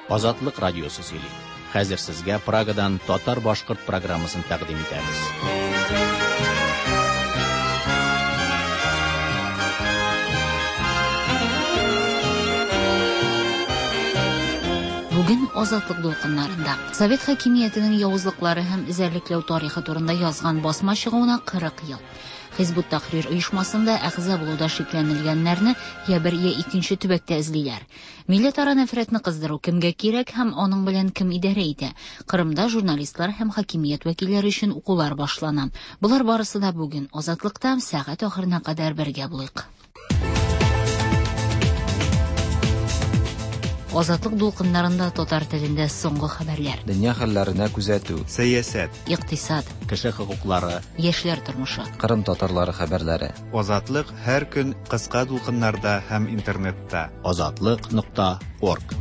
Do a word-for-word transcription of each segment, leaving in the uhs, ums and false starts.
Азатлык радиосы сөйли. Хәзер сезгә Прагадан татар-башкорт программасын тәкъдим итәбез. Бүген Азатлык дулкыннарында Совет хакимиятенең явызлыклары һәм эзәрлекләү тарихы турында язган басма чыгуына кырык ел. Хизбут Тахрир оешмасында әгъза булуда шикләнелгәннәрне я бер, я икенче төбәктә эзлиләр. Милләтара нәфрәтне кыздыру кемгә кирәк һәм аның белән кем идарә итә? Кырымда журналистлар һәм хакимият вәкилләре өчен укулар башлана. Болар барысы да бүген Азатлыкта сәгать ахырына кадәр бергә булыйк. Азатлык дулкыннарында татар телендә соңгы хәбәрләр. Дөнья хәлләренә күзәтү. Сәясәт. Икътисад. Кеше хокуклары. Яшьләр тормышы. Кырым татарлары хәбәрләре. Азатлык һәр көн кыска дулкыннарда һәм интернетта. Азатлык нокта орг.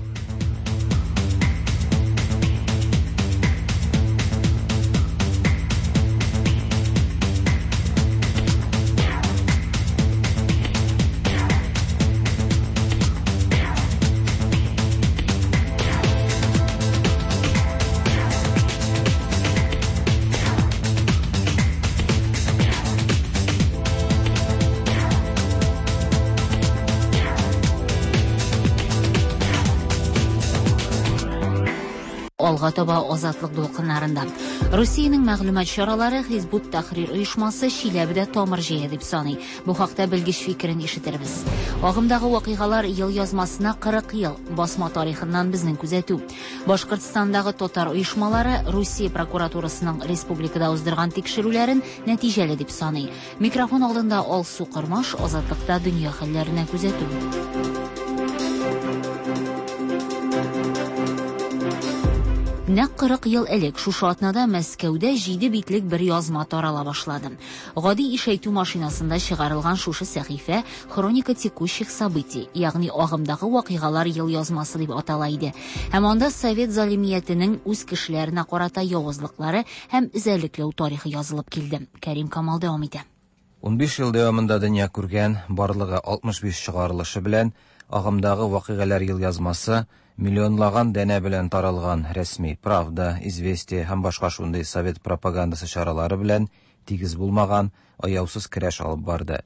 Алга таба Азатлык дулкыннарында. Русиянең мәгълүмат чаралары Хизбут Тахрир оешмасы Чиләбедә тамыр җәя дип саный. Бу хакта белгеч фикерен ишетербез. Агымдагы вакыйгалар ел язмасына кырык ел. Басма тарихыннан безнең күзәтү. Башкортстандагы татар оешмалары Русия прокуратурасының республикада уздырган тикшерүләрен нәтиҗәле дип саный. Микрофон алдында Алсу Кормаш, Азатлыкта дөнья хәлләренә күзәтү. Нәкъ кырык ел элек шушы атнада Мәскәүдә җиде битлек бер язма тарала башлады. Гади ишәйтү машинасында чыгарылган шушы сәхифә «Хроника текущих событий», ягъни агымдагы вакыйгалар ел язмасы дип атала иде. Һәм анда совет залимиятенең үз кешеләренә карата явызлыклары һәм эзәрлекләү тарихы язылып килде. Кәрим Камал дәвам итә. Унбиш ел дәвамында дөнья күргән барлыгы алтмыш биш чыгарылышы белән агымдагы вакыйгалар ел язмасы миллионлаган дәнә белән таралган рәсми Правда, Известия һәм башка шундый совет пропагандасы чаралары белән тигез булмаган аяусыз көрәш алып барды.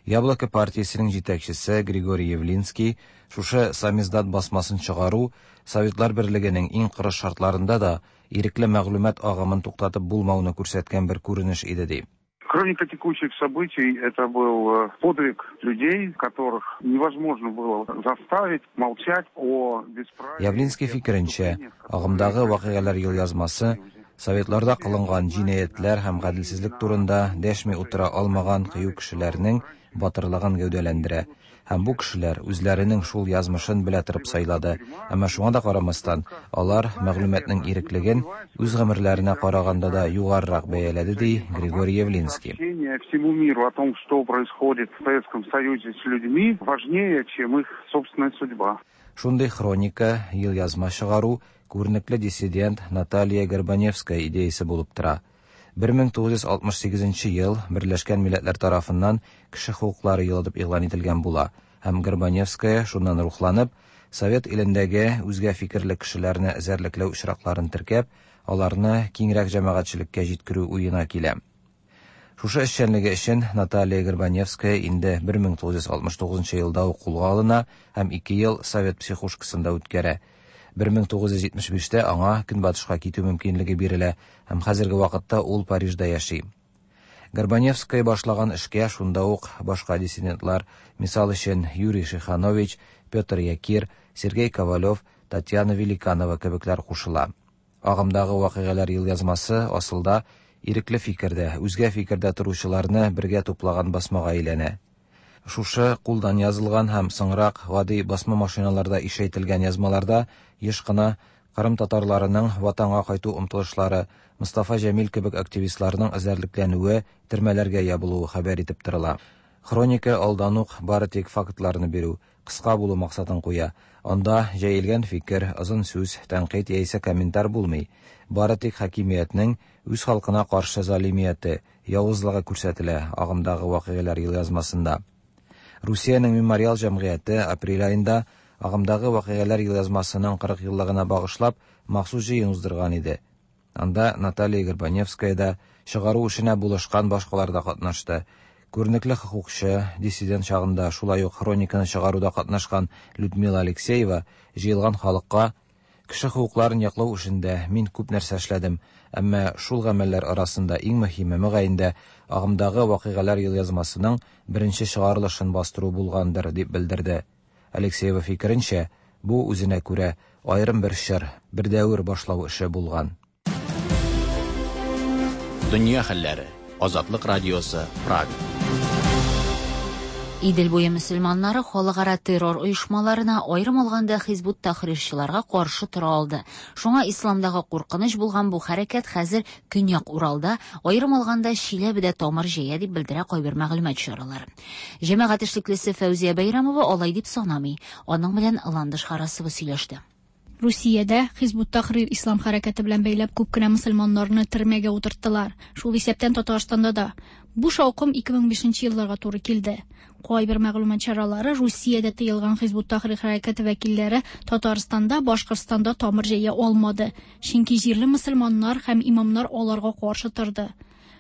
Яблоко партиясенең җитәкчесе Григорий Явлинский шушы самиздат басмасын чыгару Советлар Берлегенең иң кырыс шартларында да ирекле мәгълүмат агымын туктатып булмауны күрсәткән бер күренеш иде ди. Хроника текущих событий – это был подвиг людей, которых невозможно было заставить молчать о бесправии. Явлинский фикеренчә, агымдагы вакыйгалар ел язмасы Советларда кылынган җинаятьләр һәм гаделсезлек турында дәшми утыра алмаган кыю кешеләрнең батырлыгын гәүдәләндерә. Һәм бу кешеләр үзләренең шул язмышын белә торып сайлады. Әмма шуңа да карамастан, алар мәгълүматның иреклеген үз гомерләренә караганда да югарырак бәяләде, ди Григорий Явлинский. Всему миру о том, что происходит в Советском Союзе с людьми, важнее, чем их собственная судьба. Шундый хроника ел язма чыгару күренекле диссидент Наталья Горбаневская идеясы булып тора. бер мең тугыз йөз алтмыш сигезенче ел Берләшкән Милләтләр тарафыннан кеше хокуклары елы дип игълан ителгән була. Һәм Горбаневская шуннан рухланып, Совет илендәге үзгә фикерле кешеләрне эзәрлекләү очракларын теркәп, аларны киңрәк җәмәгатьчелеккә җиткерү уена килә. Шушы эшчәнлеге өчен Наталья Горбаневская инде бер мең тугыз йөз алтмыш тугызынчы елда ук кулга алына һәм ике ел Совет психушкасында үткәрә. бер мең тугыз йөз җитмеш биштә аңа Көнбатышка китү мөмкинлеге бирелә һәм хәзерге вакытта ул Парижда яши. Горбаневская башлаган эшкә шунда ук башка диссидентлар, мисал өчен Юрий Шиханович, Петр Якир, Сергей Ковалев, Татьяна Великанова кебекләр кушыла. Агымдагы вакыйгалар ел язмасы асылда ирекле фикердә, үзгә фикердә торучыларны бергә туплаган басмага әйләнә. Шушы кулдан язылган һәм соңрак гади басма машиналарда ишәйтелгән язмаларда еш кына Кырым татарларының ватанга кайту омтылышлары, Мустафа Җәмил кебек активистларның эзәрлекләнүе, төрмәләргә ябылуы хәбәр итеп торыла. Хроника алдан ук бары тик фактларны бирү, кыска булу максатын куя. Анда җәелгән фикер, озын сүз, тәнкыйть яисә комментар булмый. Бары тик хакимиятнең үз халкына каршы залимияте, явызлыгы күрсәтелә агымдагы вакыйгалар ел язмасында. Русиянең мемориал җәмгыяте апрель айында Агымдагы вакыйгалар елъязмасының кырык еллыгына багышлап махсус җыен уздырган иде. Анда Наталья Горбаневская да, чыгару эшенә булышкан башкалар да катнашты. Күренекле хокукчы, диссидент чагында шулай ук хрониканы чыгаруда катнашкан Людмила Алексеева җыелган халыкка: "Кеше хокукларын яклау эшендә мин күп нәрсә эшләдем, әмма шул гамәлләр арасында иң мөһиме мөгаен дә агымдагы вакыйгалар елъязмасының беренче чыгарылышын бастыру булгандыр", дип белдерде. Алексеева фикеренчә, бу үзенә күрә аерым бер чор, бер дәвер башлау эше булган. Дөнья хәлләре. Азатлык радиосы, Прага. Идел буе мөселманнары халыкара террор оешмаларына, аерым алганда Хизбут Тахрирчыларга каршы тора алды. Шуңа исламдагы куркыныч булган бу хәрәкәт хәзер Көньяк Уралда, аерым алганда Чиләбедә тамыр җәя дип белдерә кайбер мәгълүмат чаралары. Җәмәгать эшлеклесе Фәүзия Бәйрәмова алай дип санамый. Аның белән Ландыш Харасова сөйләште. Русиядә Хизбут Тахрир ислам хәрәкәте белән бәйләп күп кенә мөселманнарны төрмәгә утырттылар. Шул исәптән Татарстанда да. Бу шаукым ике мең бишенче елларга туры килде. Кайбер мәгълүмат чаралары Русиядә тыелган Хизбут Тахрир хәрәкәте вәкилләре Татарстанда, Башкортстанда тамыр җәя алмады. Чөнки җирле мөселманнар һәм имамнар аларга каршы торды.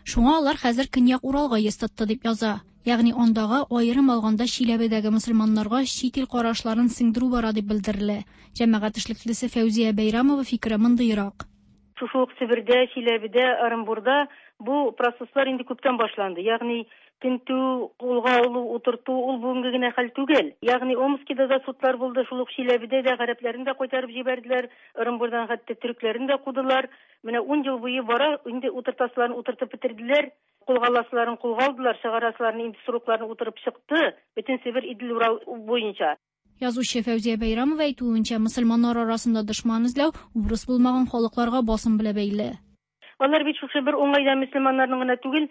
Шуңа алар хәзер Көньяк Уралга йөз тотты дип яза. Ягъни андагы аерым алганда Чиләбедәге мөселманнарга чит ил карашларын сеңдерү бара дип белдерелә. Җәмәгать эшлеклесе Фәүзия Бәйрәмова фикере мондыйрак. Шушы ук Себердә, Чиләбедә, Оренбурда бу процесслар инде күптән башланды. Ягъни тентү, кулга алу, утырту ул бүгенге генә хәл түгел. Ягъни Омскида да судлар булды, шул ук Чиләбедә дә гарәпләрен дә кайтарып җибәрделәр, Оренбурдан хәтта төрекләрен дә кудылар. Менә ун ел буе бара, инде утыртасыларын утыртып бетерделәр. Кулга аласыларын кулга алдылар, чыгарасыларын инде срокларын утырып чыкты, бөтен Себер Идел Урал буенча. Язучы Фәүзия Бәйрәмова әйтүенчә, мөселманнар арасында дошман эзләү урыс булмаган халыкларга басым белән бәйле. Алар бит шушы бер уңайда мөселманнарның гына түгел,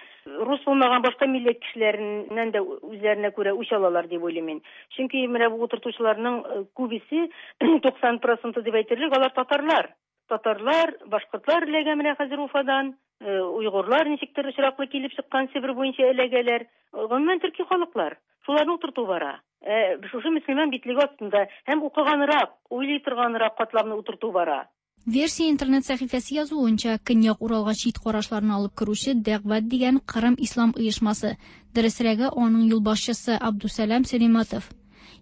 рус булмаган башка милләт кешеләреннән дә үзләренә күрә үч алалар дип уйлыйм мин. Чөнки менә бу утыртучыларның күбесе, туксан проценты дип әйтерлек, алар татарлар. Татарлар, башкортлар эләгә менә хәзер Уфадан, уйгырлар ничектер очраклы килеп чыккан Себер буенча эләгәләр. Гомумән төрки халыклар. Шуларны утырту бара. Шушы мөселман битлеге астында һәм укыганрак, уйлый торганрак катламны утырту бара. Версия интернет сәхифәсе язуынча, Көньяк Уралга чит карашларны алып керүче Дәгъват дигән Кырым ислам оешмасы, дөресрәге аның юлбашчысы Абдусалам Сәлиматов.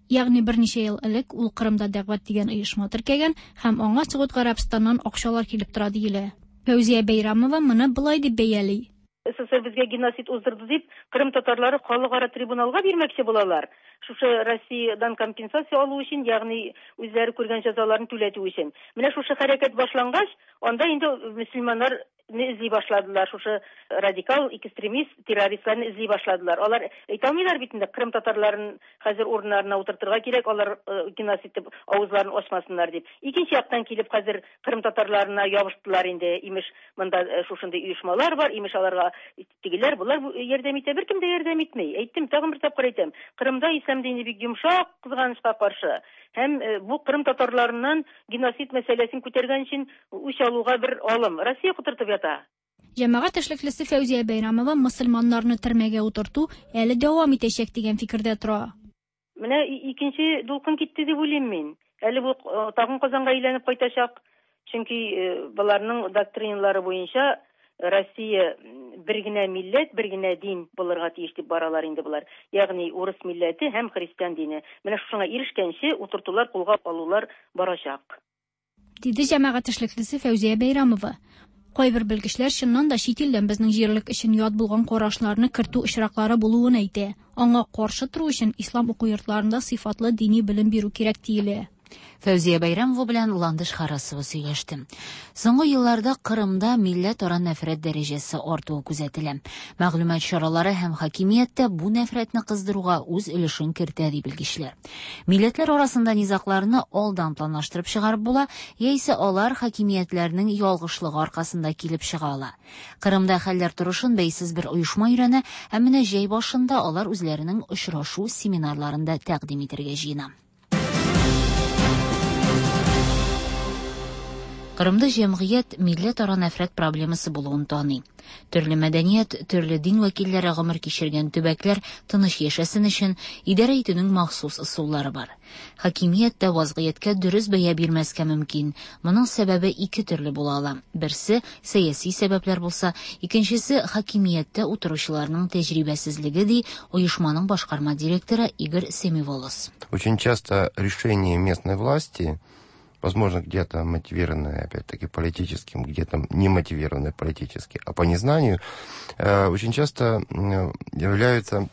Ягъни берничә ел элек ул Кырымда Дәгъват дигән оешма теркәгән һәм аңа Согуд Гарәбстаннан акчалар килеп тора диелә. Фәүзия Бәйрәмова моны былай дип бәяли. СССР безгә геноцид уздырды дип, Кырым татарлары халыкара трибуналга бирмәкче булалар. Шушы Россиядән компенсация алу өчен, ягъни үзләре күргән җәзаларын түләтү өчен. Менә шушы хәрәкәт башлангач, анда инде мөселманнар эзли башладылар, шушы радикал экстремист террористларны эзли башладылар. Алар әйтә алмыйлар бит инде Кырым татарларын хәзер урыннарына утыртырга кирәк, алар геноцид дип авызларын ачмасыннар дип. Икенче яктан килеп хәзер Кырым татарларына ябыштылар инде, имеш монда шушындый оешмалар бар, имеш аларга тегеләр, булар ярдәм итә, беркем дә ярдәм итми. Әйттем, тагын бер тапкыр әйтәм. Кырымда ислам дине бик йомшак, кызганычка каршы. Һәм бу Кырым татарларыннан геноцид мәсьәләсен күтәргән өчен үч алуга бер алым. Россия котыртып ята. Җәмәгать эшлеклесе Фәүзия Бәйрәмова мөселманнарны төрмәгә утырту әле дәвам итәчәк дигән фикердә тора. Менә икенче дулкын китте дип уйлыйм мин. Әле бу тагын Казанга әйләнеп кайтачак. Чөнки буларның доктриналары буенча Россия бер генә милләт, бер генә дин булырга тиеш дип баралар инде булар. Ягъни урыс милләте һәм христиан дине. Менә шуңа ирешкәнче утыртулар, кулга алулар барачак. Диде җәмәгать эшлеклесе Фәүзия Бәйрәмова. Кайбер белгечләр чыннан да чит илдән безнең җирлек өчен ят булган карашларны кертү очраклары булуын әйтә. Аңа каршы тору өчен ислам уку йортларында сыйфатлы дини белем бирү кирәк диелә. Фәүзия Бәйрәмова белән Ландыш Харасова сөйләште. Соңгы елларда Кырымда милләтара нәфрәт дәрәҗәсе артуы күзәтелә. Мәгълүмат чаралары һәм хакимият тә бу нәфрәтне кыздыруга үз өлешен кертә ди белгечләр. Милләтләр арасында низагларны алдан планлаштырып чыгарып була, яисә алар хакимиятләрнең ялгышлыгы аркасында килеп чыга ала. Кырымда хәлләр торышын бәйсез бер оешма өйрәнә, һәм менә җәй башында алар үзләренең очрашу җ-ҫ . Кырымда җәмгыять милләтара нәфрәт проблемасы булуын таный. Төрле мәдәният, төрле дин вәкилләре гомер кичергән төбәкләр тыныч яшәсен өчен идарә итүнең махсус ысуллары бар. Хакимият тә вазгыятькә дөрес бәя бирмәскә мөмкин. Моның сәбәбе ике төрле була ала. Берсе сәяси сәбәпләр булса, икенчесе хакимияттә утыручыларның тәҗрибәсезлеге, ди оешманың башкарма директоры Игорь Семиволос. Очень часто решение местной власти, возможно, где-то мотивированное, опять-таки, политическим, где-то не мотивированное политически, а по незнанию, очень часто являются.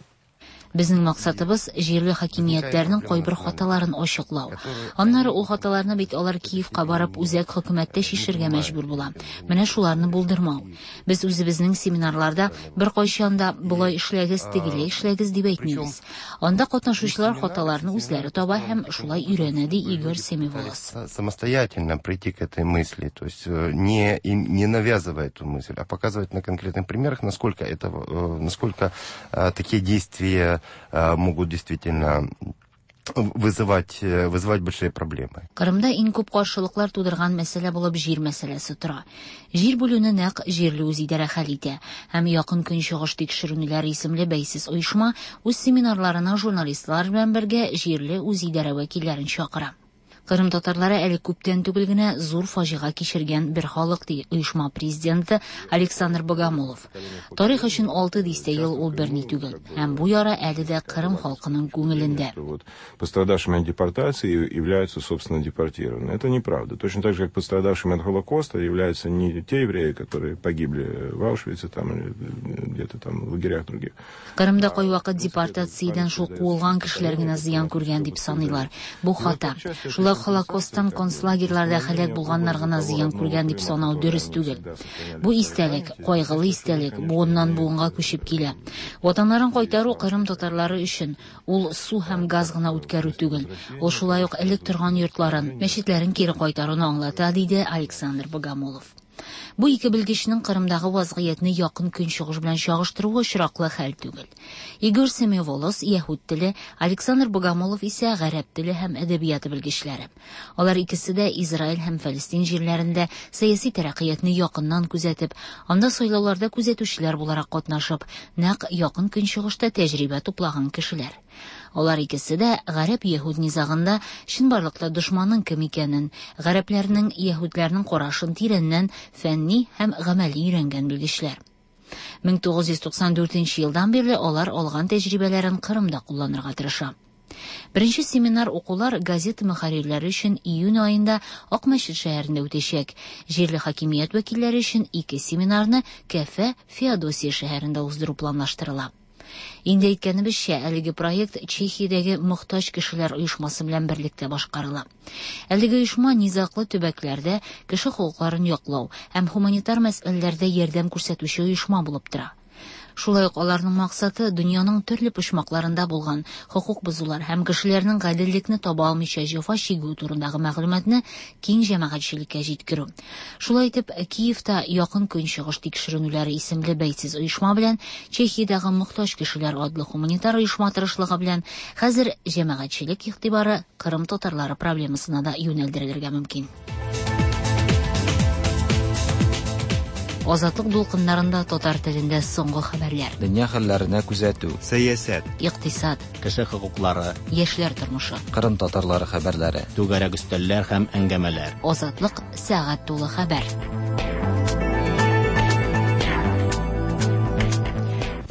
Безнең максатыбыз җирле хакимиятләрнең кайбер хаталарын ачыклау. Аннары ул хаталарны бит алар Киевка барып үзәк хөкүмәттә чишергә мәҗбүр була. Менә шуларны булдырмау. Без үзебезнең семинарларда бер кайчан да болай эшләгез, тегеләй эшләгез дип әйтмибез. Анда катнашучылар хаталарны үзләре таба һәм шулай өйрәнә, ди Игорь Семиволос. Самостоятельно прийти к этой мысли, то есть не не навязывая эту мысль, а показывать на конкретных примерах, насколько это, насколько такие действия могут действительно вызывать, вызывать большие проблемы. Кырымда иң күп каршылыклар тудырган мәсьәлә булып җир мәсьәләсе тора. Җир бүлүне нәкъ җирле үзидарә хәл итә. Һәм Якын Көнчыгыш тикшеренүләр исемле бәйсез оешма үз семинарларына журналистлар белән бергә җирле үзидарә вәкилләрен чакыра. Кырым татарлары әле күптән түгел генә зур фаҗига кичергән бер халык, ди оешма президенты Александр Богомолов. Тарих өчен алты дистә ел ул берни түгел. Һәм бу яра әле дә Кырым халкының күңелендә. Пострадавшими от депортации являются, собственно, депортированные. Это неправда. Точно так же, как пострадавшими от Холокоста являются не те евреи, которые погибли в Аушвице там, или где-то там в лагерях других. Кырымда кайвакыт депортациядән шул куылган кешеләр генә зыян күргән дип саныйлар. Бу хата. Шулай Холокосттан концлагерьларда һәлак булганнар гына зыян күргән дип санау дөрес түгел. Бу истәлек, кайгылы истәлек, буыннан буынга күчеп килә. Ватаннарын кайтару Кырым татарлары өчен ул су һәм газ гына үткәрү түгел. Ул шулай ук элек торган йортларын, мәчетләрен кире кайтаруны аңлата, диде Александр Богомолов. Бу ике белгечнең Кырымдагы вазгыятьне якын көнчыгыш белән чагыштыруы очраклы хәл түгел. Игорь Семиволос яһүд теле, Александр Богомолов исә гарәп теле һәм әдәбияты белгечләре. Алар икесе дә Израиль һәм Фәлестин җирләрендә сәяси тәрәккыятьне якыннан күзәтеп, анда сайлауларда күзәтүчеләр буларак катнашып, нәкъ якын көнчыгышта тәҗрибә туплаган кешеләр. Алар икесе дә гарәп-яһүд низагында чынбарлыкта дошманның кем икәнен, гарәпләрнең, яһүдләрнең карашын тирәннән фәнни һәм гамәли өйрәнгән белгечләр. мең тугыз йөз туксан дүртенче елдан бирле алар алган тәҗрибәләрен Кырымда кулланырга тырыша. Беренче семинар укулар газета мөхәррирләре өчен июнь аенда Акмәчет шәһәрендә үтәчәк. Җирле хакимият вәкилләре өчен ике семинарны Кәфә, Феодосия шәһәрендә уздыру планлаштырыла. Инде әйткәнебезчә, әлеге проект Чехиядәге мохтаҗ кешеләр оешмасы белән берлектә башкарыла. Әлеге оешма низаклы төбәкләрдә кеше хокукларын яклау һәм гуманитар мәсьәләләрдә ярдәм күрсәтүче оешма булып тора. Шулай ук аларның максаты дөньяның төрле почмакларында булган хокук бозулар һәм кешеләрнең гаделлекне таба алмыйча җәфа чигү турындагы мәгълүматны киң җәмәгатьчелеккә җиткерү. Шулай итеп, Киевта Якын Көнчыгыш тикшеренүләре исемле бәйсез оешма белән Чехиядәге мохтаҗ кешеләр адлы гуманитар оешма тырышлыгы белән хәзер җәмәгатьчелек игътибары Кырым татарлары проблемасына да юнәлдерелергә мөмкин. Азатлык дулкыннарында татар телендә соңгы хәбәрләр. Дөнья хәлләренә күзәтү, сәясәт, икътисад, кеше хокуклары, яшьләр тормышы, Кырым татарлары хәбәрләре, түгәрәк өстәлләр һәм әңгәмәләр. Азатлык сәгать тулы хәбәр.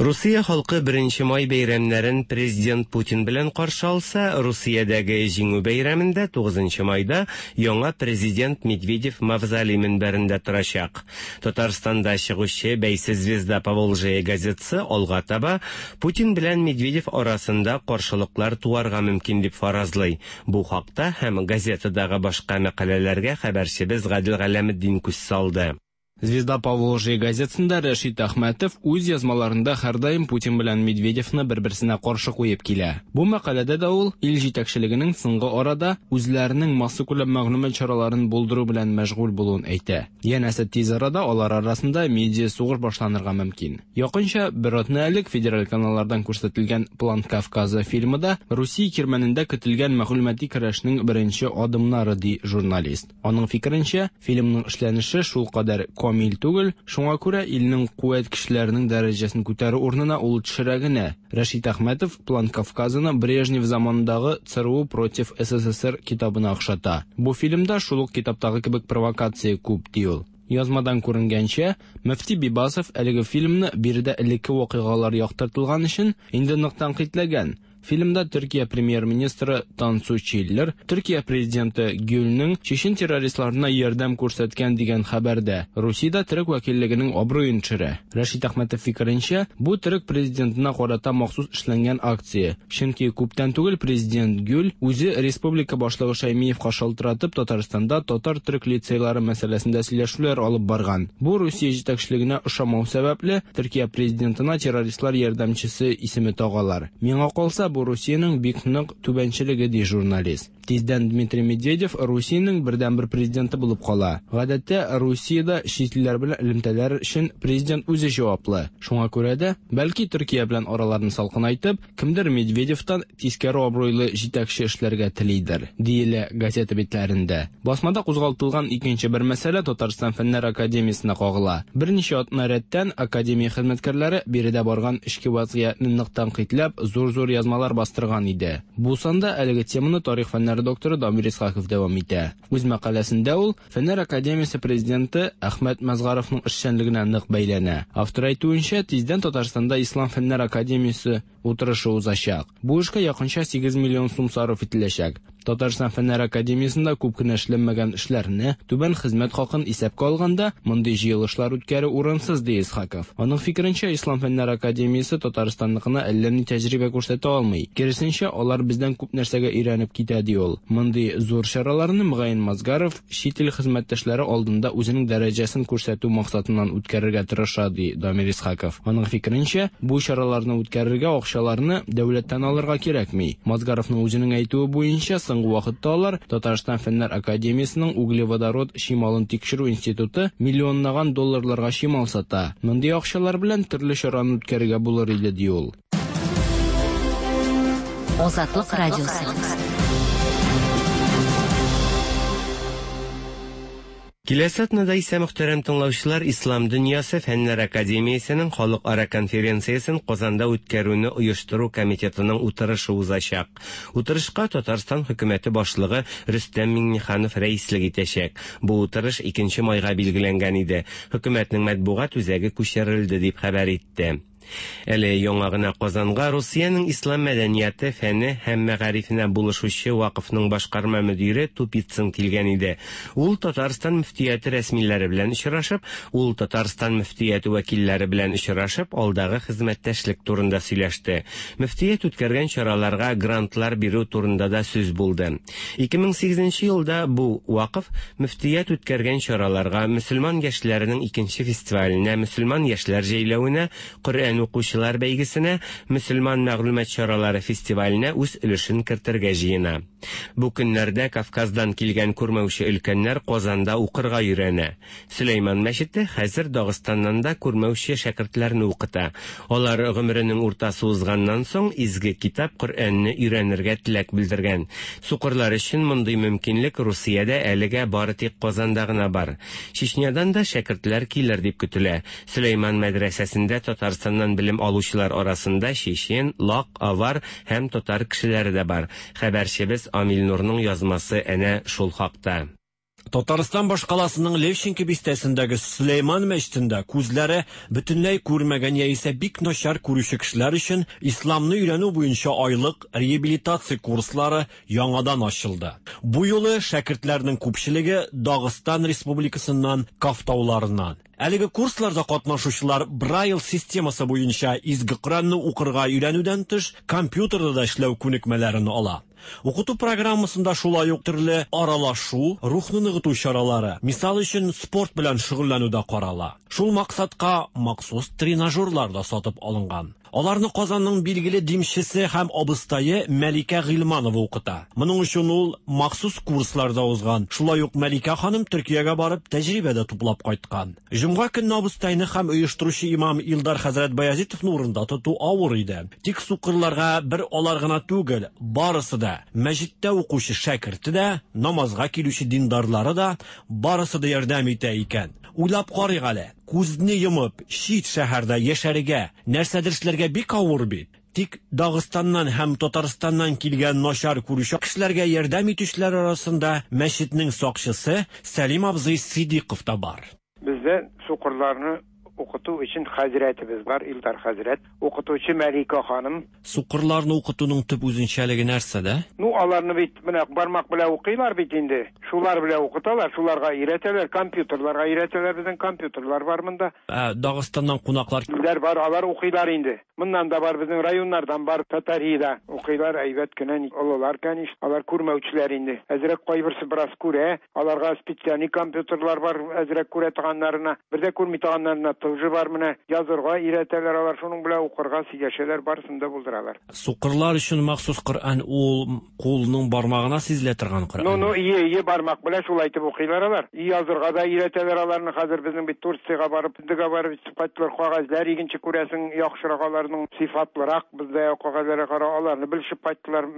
Русия халкы беренче май бәйрәмнәрен президент Путин белән каршы алса, Русиядәге җиңү бәйрәмендә тугызынчы майда яңа президент Медведев мавзолей мөнбәрендә торачак. Татарстанда чыгучы Бәйсез Звезда Поволжье газетасы алга таба Путин белән Медведев арасында каршылыклар туарга мөмкин дип фаразлый. Бу хакта һәм газетадагы башка мәкаләләргә хәбәрчебез Гадел Галәметдин күз салды. Звезда Поволжья газетасында Рәшит Әхмәтов үз язмаларында һәрдаим Путин белән Медведевны бер-берсенә каршы куеп килә. Бу мәкаләдә дә ул ил җитәкчелегенең соңгы арада үзләренең массакүләм мәгълүмат чараларын булдыру белән мәшгуль булуын әйтә. Янәсе, тиз арада алар арасында медиа сугыш башланырга мөмкин. Якынча бер атна элек федераль каналлардан күрсәтелгән План Кавказа фильмы да Русия кирмәнендә көтелгән мәгълүмати көрәшнең беренче адымнары, ди журналист. Аның фикеренчә, фильмның эшләнеше шулкадәр камил түгел, шуңа күрә илнең куәт кешеләренең дәрәҗәсен күтәрү урынына ул төшерә генә. Рәшит Әхмәтов План Кавказаны Брежнев заманындагы ЦРУ против СССР китабына охшата. Бу фильмда шул ук китаптагы кебек провокация күп, ди ул. Язмадан күренгәнчә, Мөфти Бибасов әлеге фильмны биредә элекке вакыйгалар яктыртылган өчен инде нык тәнкыйтьләгән. Фильмда Төркия премьер-министры Тансу Чиллер, Төркия президенты Гюльнең чечен террористларына ярдәм күрсәткән дигән хәбәрдә Русиядә төрек вәкиллегенең абруен төшерә. Рәшит Әхмәтов фикеренчә, бу төрек президентына карата махсус эшләнгән акция. Чөнки күптән түгел президент Гюль үзе республика башлыгы Шаймиевка шалтыратып Татарстанда татар-төрек лицейлары мәсьәләсендә сөйләшүләр алып барган. Бу Русия җитәкчелегенә ошамау сәбәпле Төркия президентына террористлар ярдәмчесе исеме тагалар. Миңа калса, бу Русиянең бик нык түбәнчелеге, ди журналист. Тиздән Дмитрий Медведев Русиянең бердәнбер президенты булып кала. Гадәттә, Русиядә чит илләр белән элемтәләр өчен президент үзе җаваплы. Шуңа күрә дә, бәлки Төркия белән араларын салкынайтып, кемдер Медведевтан тискәре абруйлы җитәкче эшләргә телидер, диелә газета битләрендә. Басмада кузгалтылган икенче бер мәсьәлә Татарстан Фәннәр академиясенә кагыла. Берничә атна рәттән академия хезмәткәрләре биредә барган эчке вазгыятьне нык тәнкыйтьләп, зур-зур язмалар бастырган иде. Бу санда әлеге теманы тарих фәннәре докторы Дамир Исхаков дәвам итә. Үз мәкаләсендә ул Фәннәр академиясе президенты Әхмәт Мазгаровның эшчәнлегенә нык бәйләнә. Автор әйтүенчә, тиздән Татарстанда Ислам Фәннәр академиясе утырышы узачак. Бу эшкә якынча сигез миллион сум сарыф ителәчәк. Татарстан Фәннәр академиясендә күп кенә эшләнмәгән эшләрне, түбән хезмәт хакын исәпкә алганда, мондый җыелышлар үткәрү урынсыз, ди Исхаков. Аның фикеренчә, Ислам Фәннәр академиясе Татарстанныкына әллә ни тәҗрибә күрсәтә алмый. Киресенчә, алар бездән күп нәрсәгә өйрәнеп китә, ди ул. Мондый зур чараларны мөгаен Мазгаров чит ил хезмәттәшләре алдында үзенең дәрәҗәсен күрсәтү максатыннан үткәрергә тырыша, ди Дамир Исхаков. Аның фикеренчә, бу чараларны үткәрергә акчаларны дәүләттән алырга кирәкми. Мазгаровның үзенең әйтүе буенча, соңгы вакытта алар Татарстан Фәннәр академиясенең углеводород чималын тикшерү институты миллионлаган долларларга чимал сата. Мондый акчалар белән төрле чараны үткәрергә булыр иде, ди ул. Азатлык радиосы. Киләсе атнада исә, мөхтәрәм тыңлаучылар, Ислам дөньясы Фәннәр академиясенең халыкара конференциясен Казанда үткәрүне оештыру комитетының утырышы узачак. Утырышка Татарстан хөкүмәте башлыгы Рөстәм Миңнеханов рәислек итәчәк. Бу утырыш икенче майга билгеләнгән иде. Хөкүмәтнең матбугат үзәге күчерелде дип хәбәр итте. Әле яңа гына Казанга Русиянең ислам мәдәнияте, фәне һәм мәгарифенә булышучы вакыфның башкарма мөдире Тупицын килгән иде. Ул Татарстан мөфтияте рәсмиләре белән очрашып, ул Татарстан мөфтияте вәкилләре белән очрашып, алдагы хезмәттәшлек турында сөйләште. Мөфтият үткәргән чараларга грантлар бирү турында да сүз булды. ике мең сигезенче елда бу вакыф мөфтият үткәргән чараларга, мөселман яшьләренең икенче фестиваленә, мөселман яшьләр җәйләвенә, Коръән укучылар бәйгесенә, мөселман мәгълүмат чаралары фестиваленә үз өлешен кертергә җыена. Бу көннәрдә Кавказдан килгән күрмәүче өлкәннәр Казанда укырга өйрәнә. Сөләйман мәчете хәзер Дагыстаннан да күрмәүче шәкертләрне укыта. Алар гомеренең уртасы узганнан соң изге китап Коръәнне өйрәнергә теләк белдергән. Сукырлар өчен мондый мөмкинлек Русиядә әлегә бары тик Казанда гына бар. Чечнядан да шәкертләр килер дип көтелә. Сөләйман мәдрәсәсендә Татарстаннан белем алучылар арасында чечен, лак, авар һәм татар кешеләре дә бар. Хәбәрчебез Амил Нурның язмасы әнә шул хакта. Татарстан башкаласының Левченко бистәсендәге Сөләйман мәчетендә күзләре бөтенләй күрмәгән яисә бик начар күрүче кешеләр өчен исламны өйрәнү буенча айлык реабилитация курслары яңадан ачылды. Бу юлы шәкертләрнең күпчелеге Дагыстан Республикасыннан, Каф тауларыннан. Әлеге курсларда катнашучылар Брайль системасы буенча изге Коръәнне укырга өйрәнүдән тыш, компьютерда да эшләү күнекмәләрен ала. Укыту программасында шулай ук төрле аралашу, рухны ныгыту чаралары, мисал өчен спорт белән шөгыльләнү дә карала. Шул максатка махсус тренажерлар да сатып алынган. Аларны Казанның билгеле димчесе һәм абыстае Мәликә Гыйльманова укыта. Моның өчен ул махсус курсларда узган. Шулай ук Мәликә ханым Төркиягә барып тәҗрибә дә туплап кайткан. Җомга көнне абыстайны һәм оештыручы имам Илдар хәзрәт Баязитовны урында тоту авыр иде. Тик сукырларга бер алар гына түгел, барысы да, мәчеттә укучы шәкерте дә, намазга килүче диндарлары да, барысы да ярдәм итә икән. Уйлап карыйк әле, күзне йомып, чит шәһәрдә яшәргә, нәрсәдер эшләргә бик авыр бит. Тик Дагыстаннан һәм Татарстаннан килгән начар күрүче кешеләргә ярдәм итүчеләр арасында мәчетнең сакчысы Сәлим абзый Сидиков та бар. Бездә сукырларны укыту өчен хәзрәтебез бар, Илдар хәзрәт, укытучы Мәликә ханым. Сукырларны укытуның төп үзенчәлеге нәрсәдә? Ну, аларны бит менә бармак белән укыйлар бит инде. Шулар белән укыталар, шуларга өйрәтәләр, компьютерларга өйрәтәләр, безнең компьютерлар бар монда. Ә Дагыстаннан кунаклар Киләр бар, алар укыйлар инде. Моннан да бар, безнең районнардан бар, Татарияда укыйлар, әйбәт кенә, олылар, конечно, алар күрмәүчеләр инде. Әзрәк кайберсе бераз күрә, аларга специальный компьютерлар бар, әзрәк күрә торганнарына, бер дә күрми торганнарына тоже бар менә. Язырга өйрәтәләр алар, шуның белән укырга, сөйләшәләр, барысын да булдыралар. Сукырлар өчен махсус Коръән ул кулның бармагына сизелә торган Коръән. Ну, ну, ие, ие бармак белән шулай итеп укыйлар алар. И язырга да өйрәтәләр аларны. Хәзер безнең бит Турциягә барып, Индиягә барып кайттылар, кәгазьләр икенче күрәсең, яхшырак аларның, сыйфатлырак бездә кәгазьләргә кара аларны белешеп кайттылар,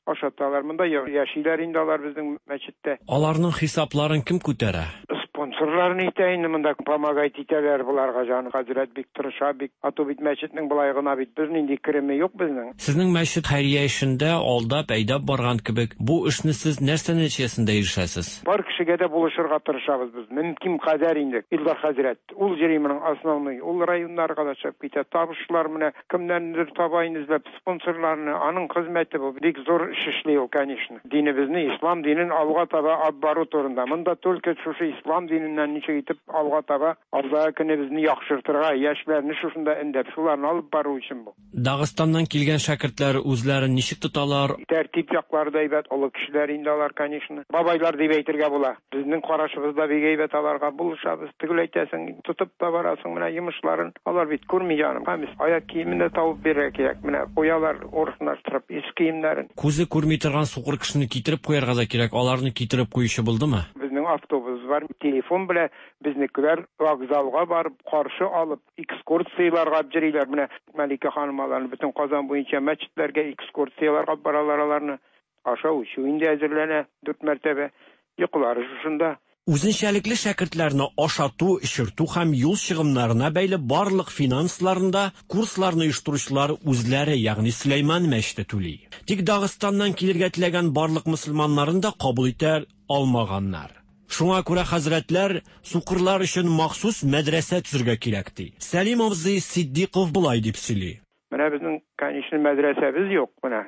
ашаталар. Монда яшиләр инде алар безнең мәчеттә. Аларның хисапларын кем күтәрә? Спонсорларны итә инде монда, помогать итәләр буларга, җан хәзрәт бик тырыша, бик. Ату бит мәчетнең болай гына бит бернинди кереме юк безнең. Сезнең мәчет хәйрия эшендә алдап, әйдәп барган кебек, бу эшне сез нәрсә нәтиҗәсендә ирешәсез? Бар кешегә дә булышырга тырышабыз без. Мөмкин кадәр инде. Илдар хәзрәт, ул җири моның основной, ул районнарга да чыгып китә. Табышлар менә кемнәндер таба инде эзләп спонсорларны, аның хезмәте бу. Бик зур эш эшли ул, конечно. Динебезне, ислам динен алга таба алып бару турында. Монда только шушы ислам диненнән ничек итеп алга таба алда көнебезне яхшыртырга, яшьләрне шушында эндәп, шуларны алып бару өчен бу. Дагыстаннан килгән шәкертләр үзләрен ничек тоталар? Тәртип яклары да әйбәт, олы кешеләр инде алар, конечно. Бабайлар дип әйтергә була. Безнең карашыбыз да бик әйбәт, аларга булышабыз. Төгәл әйтәсең, тотып та барасың менә йомышларын. Алар бит күрми җаным. Һәм аяк киемен дә табып бирергә кирәк. Менә куялар урынлаштырып ис киемнәрен. Күзе күрми торган сукыр кешене китереп куярга да кирәк. Аларны китереп куючы булдымы? Безнең автобус бар, телефон белән безнекеләр вокзалга барып каршы алып экскурсияләргә йөриләр. Менә Мәликә ханым аларны бөтен Казан буенча мәчетләргә экскурсияләргә баралар аларны. Ашау эчү инде әзерләнә дүрт мәртәбә. Йокылары шушында. Үзенчәлекле шәкертләрне ашату, эчертү һәм юл чыгымнарына бәйле барлык финансларында курсларны оештыручылар үзләре, ягъни Сөләйман мәчете түли. Тик Дагыстаннан килергә теләгән барлык мөселманнарын да кабул итә алмаганнар. Шуңа күрә хәзрәтләр сукырлар өчен махсус мәдрәсә төзергә кирәк ди. Сәлим абзый Сиддиков болай дип сөйли. Менә безнең, конечно, мәдрәсәбез юк, менә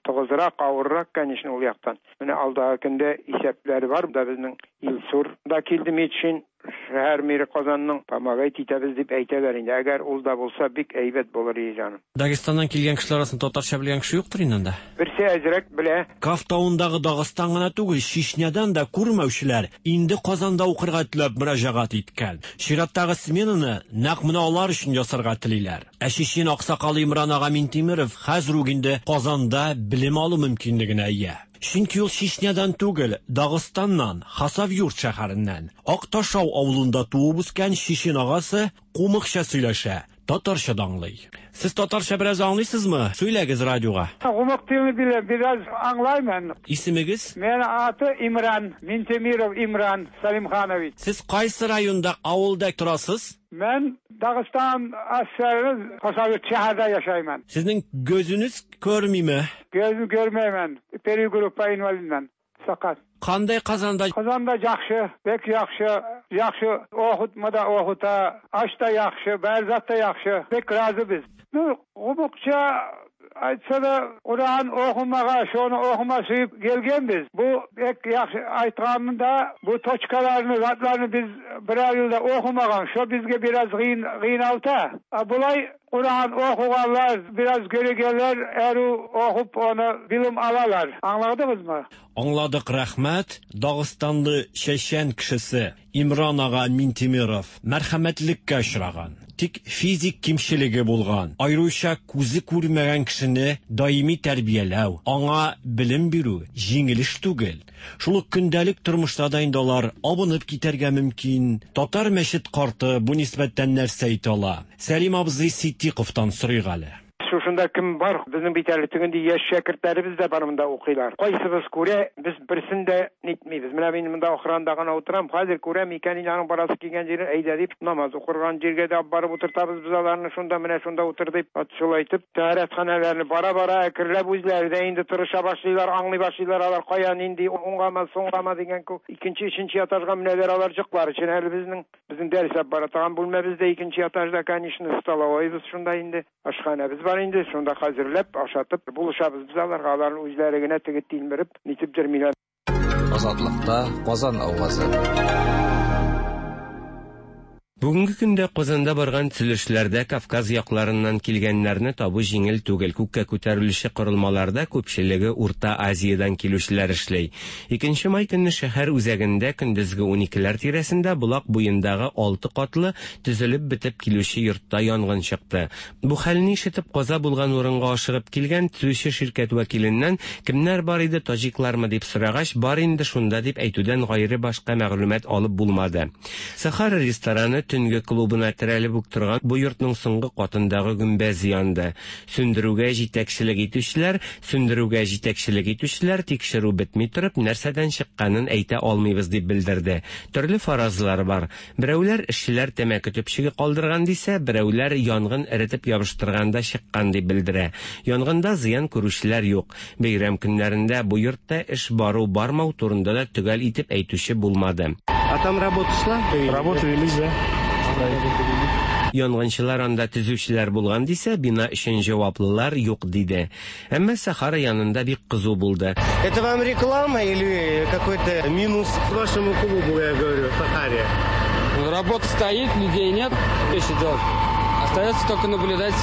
тыгызрак, авыррак, конечно, ул яктан. Менә алдагы көндә исәпләре бар, да безнең Илсур да килде Метшин, шәһәр мэры Казанның, помогать итәбез дип әйтәләр инде. Әгәр ул да булса, бик әйбәт булыр иде, җаным. Дагыстаннан килгән кешеләр арасында татарча белгән кеше юктыр инде анда. Берсе әзрәк белә. Каф тавындагы Дагыстан гына түгел, Чечнядан да күрмәүчеләр инде Казанда укырга теләп мөрәҗәгать иткән. Чираттагы сменаны нәкъ менә алар өчен ясарга телиләр. Ә Чечен аксакалы Имран ага Минтимеров хәзер үк инде Казанда белем алу мөмкинлегенә ия. Чөнки ул Чечнядан түгел, Дагыстаннан, Хасавюрт шәһәреннән. Акташау авылында туып үскән чечен агасы кумыкча сөйләшә, татарча да аңлый. Сез татарча бераз аңлыйсызмы? Сөйләгез радиога. Кумык телен беләм, бераз аңлаймын. Исемегез? Мен аты Имран, Минтимиров Имран Салимханович. Сез кайсы районда, авылда торасыз? Мен Дагыстан Ассерinin Хасавюрт шәһәрдә яшаймын. Сезнең gözünüz көрмиме? Gözüm görmeymen. Peri gruppa invalidmen. Sakat. Qanday Qazanda? Qazanda yaxşı, bek yaxşı, yaxşı oxutmada oxuta, aş da yaxşı, bərzat da yaxşı. Bek razı biz. Nu, qumukça Aytsa da Quran oqumağa, şonu oquma suyup kelgenbiz. Bu pek yaxşı aytqanında bu toçkalarını, zatlarını biz birer yılda oqumağan. Şo bizge biraz qıyın, qıyınalta. Bulay Quran oquğanlar, biraz göregenler eru oqup onu bilim alalar. Anladınız mı? Аңладык, рәхмәт. Дагыстанлы чәчән кешесе Имран ага Минтимеров мәрхәмәтлеккә очраган. Тик физик кимчелеге булган, аеруча күзе күрмәгән кешене даими тәрбияләү, аңа белем бирү җиңел эш түгел. Шул ук көндәлек тормышта да инде алар абынып китәргә мөмкин. Татар мәчет карты бу нисбәттән нәрсә әйтә ала? Сәлим абзый Ситдиковтан сорыйк әле. Шушында кем бар, безнең бит әле тегенди яшь шәкертләребез дә бар монда укыйлар. Кайсыбыз күрә, без берсен дә нитмибез. Менә мин монда охранда гына утырам, хәзер күрәм икән, инде аның барасы килгән җире, әйдә дип, намаз укырган җиргә дә барып утыртабыз без аларны, шунда менә шунда утыр дип, шулай итеп, тәһарәтханәләрне бара-бара әкренләп үзләре дә инде тырыша башлыйлар, аңлый башлыйлар, алар кая нинди уңгамы, соңгамы дигән күк. Икенче, өченче этажга менәләр алар җыклар өчен әле безнең безнең дәрес алып бара торган бүлмәбез дә икенче этажда, конечно, столовойбыз шунда инде, ашханәбез бар инде, шунда хәзерләп, ашатып, булышабыз без аларга, алар үзләре генә теге тилмереп, нитеп йөрмиләр. Азатлыкта Казан авазы. Бүгенге көндә Казанда барган төзелешләрдә Кавказ якларыннан килгәннәрне табу җиңел түгел. Күккә күтәрелүче корылмаларда күпчелеге Урта Азиядән килүчеләр эшли. Икенче май көнне шәһәр үзәгендә көндезге уникеләр тирәсендә Болак буендагы алты катлы төзелеп бетеп килүче йортта янгын чыкты. Бу хәлне ишетеп каза булган урынга ашыгып килгән төзүче ширкәт вәкиленнән кемнәр бар иде, таҗиклармы дип сорагач, бар инде шунда дип әйтүдән гайре башка мәгълүмат алып булмады. Сахара рестораны төнге клубына терәлеп үк торган бу йортның соңгы катындагы гөмбәзе янды. Сүндерүгә җитәкчелек итүчеләр, сүндерүгә җитәкчелек итүчеләр тикшерү бетми торып нәрсәдән чыкканын әйтә алмыйбыз дип белдерде. Төрле фаразлар бар. Берәүләр эшчеләр тәмәке төпчеге калдырган дисә, берәүләр янгын эретеп ябыштырганда чыккан дип белдерә. Янгында зыян күрүчеләр юк. Бәйрәм көннәрендә бу йортта эш бару бармау турында да төгәл итеп әйтүче булмады. А там работа шла? Работа велись, да. Янгынчылар анда төзүчеләр булган дисә, бина өчен җаваплылар юк диде. Әмма Сахара янында бик кызу булды. Это вам реклама или какой-то минус вашему клубу, я говорю, Сахаре? Работа стоит, людей нет, что еще делать? Остается только наблюдать.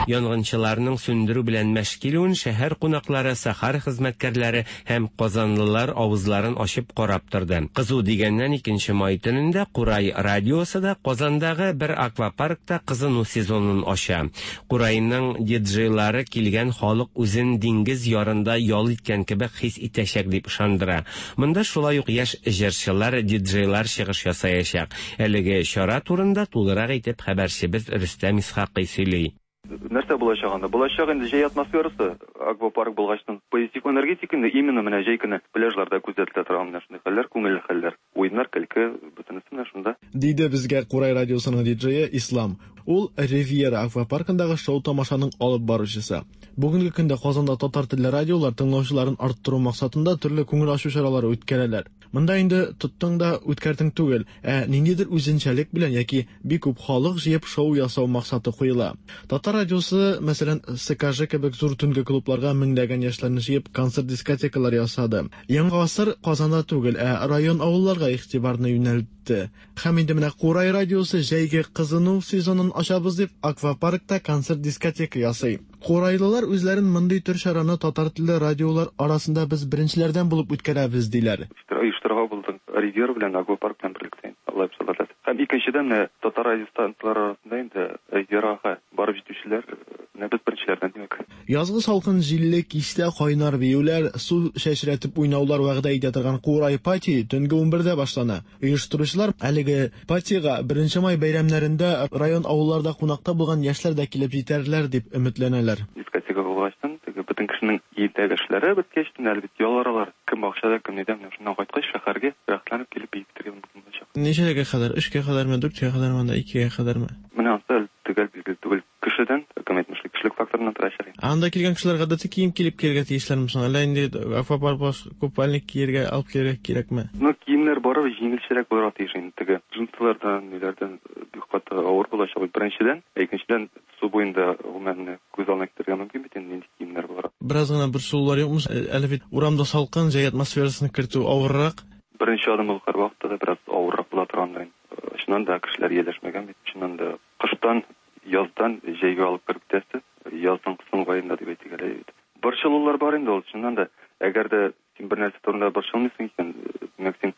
Янгынчыларның сүндерү белән мәш килүен шәһәр кунаклары, Сахара хезмәткәрләре һәм казанлылар авызларын ачып карап торды. Кызу дигәннән икенче май төнендә Курай радиосы да Казандагы бер аквапаркта кызыну сезонын ача. Курайның диджейлары килгән халык үзен диңгез ярында ял иткән кебек хис итәчәк дип ышандыра. Монда шулай ук яшь җырчылар, диджейлар чыгыш ясаячак. Әлеге чара турында тулырак итеп хәбәрчебез Рөстәм Исхакый сөйли. Нәрсә булачак анда? Булачак инде җәй атмосферасы, аквапарк булгачтан позитив энергетика инде именно менә җәй көне пляжларда күзәтелә торган менә шундый хәлләр, күңелле хәлләр, уеннар, көлке, бөтенесе менә шунда. Диде безгә Курай радиосының диджее Ислам. Ул Ривьера аквапаркындагы шоу-тамашаның алып баручысы. Бүгенге көндә Казанда татар телле радиолар тыңлаучыларын арттыру максатында төрле күңел ачу чаралары үткәрәләр. Монда инде тоттың да үткәрдең түгел, ә ниндидер үзенчәлек белән яки бик күп халык җыеп шоу ясау максаты куела. Татар радиосы, мәсәлән, СКЖ кебек зур төнге клубларга меңләгән яшьләрне җыеп концерт-дискотекалар ясады. Яңа гасыр Казанда түгел, ә район авылларга игътибарны юнәлтте. Һәм инде менә Курай радиосы җәйге кызыну сезонын ачабыз дип аквапаркта концерт-дискотека ясый. Курайлылар үзләрен мондый төр чараны татар телле радиолар арасында без беренчеләрдән булып үткәрәбез диләр. Оештырырга булдык Ривьера белән аквапарк белән берлектә. Алай булса. Һәм икенчедән менә татар радиостанцияләре арасында инде Ривьерага барып җитүчеләр менә без беренчеләрдән димәк. Язгы салкын җилле кичтә кайнар биюләр, су чәчрәтеп уйнаулар вәгъдә итә торган Курай пати төнге унбердә башлана. Оештыручылар әлеге патига беренче май бәйрәмнәрендә район авылларда кунакта булган яшьләр дә килеп җитәрләр дип өметләнәләр. Дискотека булгачтан теге бөтен кешенең өйдәге эшләре беткәч, әлбәттә ял аралар, кем бакчада, кем нидә, менә шуннан кайткач шәһәргә рәхәтләнеп килеп биетергә мөмкин булачак. Ничәгә кадәр? Өчкә кадәрме, дүрткә кадәрме, анда икегә кадәрме? Менә ансы төгәл билгеле түгел. Кешедән, кем әйтмешли, кешелек факторыннан тора шәһәр. Анда килгән кешеләр гадәти кием килеп килергә тиешләрме соң? Әллә инде аквапарк баш купальник кияргә алып килергә кирәкме? Ну, киемнәр барыр Барыбер җиңелчәрәк булырга тиеш инде. Теге джинсылардан, ниләрдән бик каты авыр булачак бит беренчедән, ә икенчедән су буенда гомумән күз алдына китерергә мөмкин бит инде нинди киемнәр булыр. Бераз гына борчылулар юкмы? Әле бит урамда салкын, җәй атмосферасын кертү авыррак. Беренче адым ул һәрвакытта да бераз авыррак була торгандыр инде. Чыннан да кешеләр ияләшмәгән бит. Чыннан да кыштан, яздан җәйгә алып кереп китәсе, язның соңгы аенда дип әйтик әле бит. Борчылулар бар инде ул, чыннан да. Әгәр дә син бер нәрсә турында борчылмыйсың икән, димәк син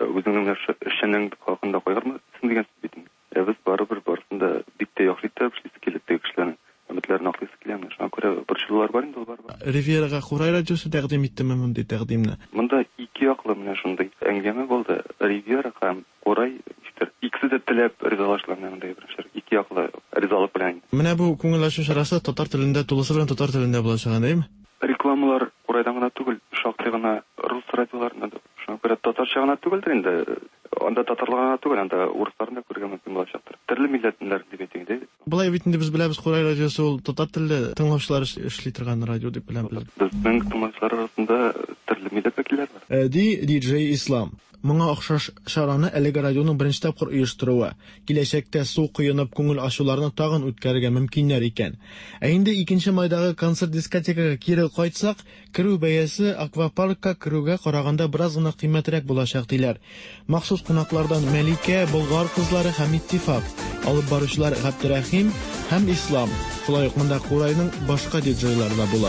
үзеңнең эшчәнлегең хакында кайгырмыйсың дигән сүз бит инде. Ә без барыбер барысын да бик тә яхшы итеп эшлисе килә теге кешеләрнең өметләрен аклыйсы килә. Шуңа күрә борчылулар бар инде ул барыбер. Ривьерага Курай радиосы тәкъдим иттеме мондый тәкъдимне? Монда ике яклы менә шундый әңгәмә булды. Ривьера һәм Курай ничектер икесе дә теләп ризалаштылар менә мондый беренче ике яклы ризалык белән. Менә бу күңел ачу чарасы татар телендә, тулысы белән татар телендә булачак, әйеме? Рекламалар Курайдан гына түгел, шактый гына рус радиоларында да. Шуңа күрә татарча гына түгелдер инде. Анда татарлар гына түгел, анда урысларны да күрергә мөмкин булачактыр. Төрле милләтләр дип әйтик инде. Болай бит инде без беләбез, Курай радиосы ул татар телле тыңлаучылар эшли торган радио дип беләм. Безнең тыңлаучылар арасында төрле милләт вәкилләре бар. Ди диджей Ислам. Моңа охшаш чараны әлеге радионың беренче тапкыр оештыруы, киләчәктә су коенып күңел ачуларны тагын үткәрергә мөмкиннәр икән. Ә инде икенче майдагы концерт дискотекага кире кайтсак, керү бәясе аквапаркка керүгә караганда бераз гына кыйммәтрәк булачак диләр. Махсус кунаклардан Мәликә, Болгар кызлары һәм Иттифак, алып баручылар Габдерәхим һәм Ислам. Шулай ук монда Курайның башка диджейлары да була.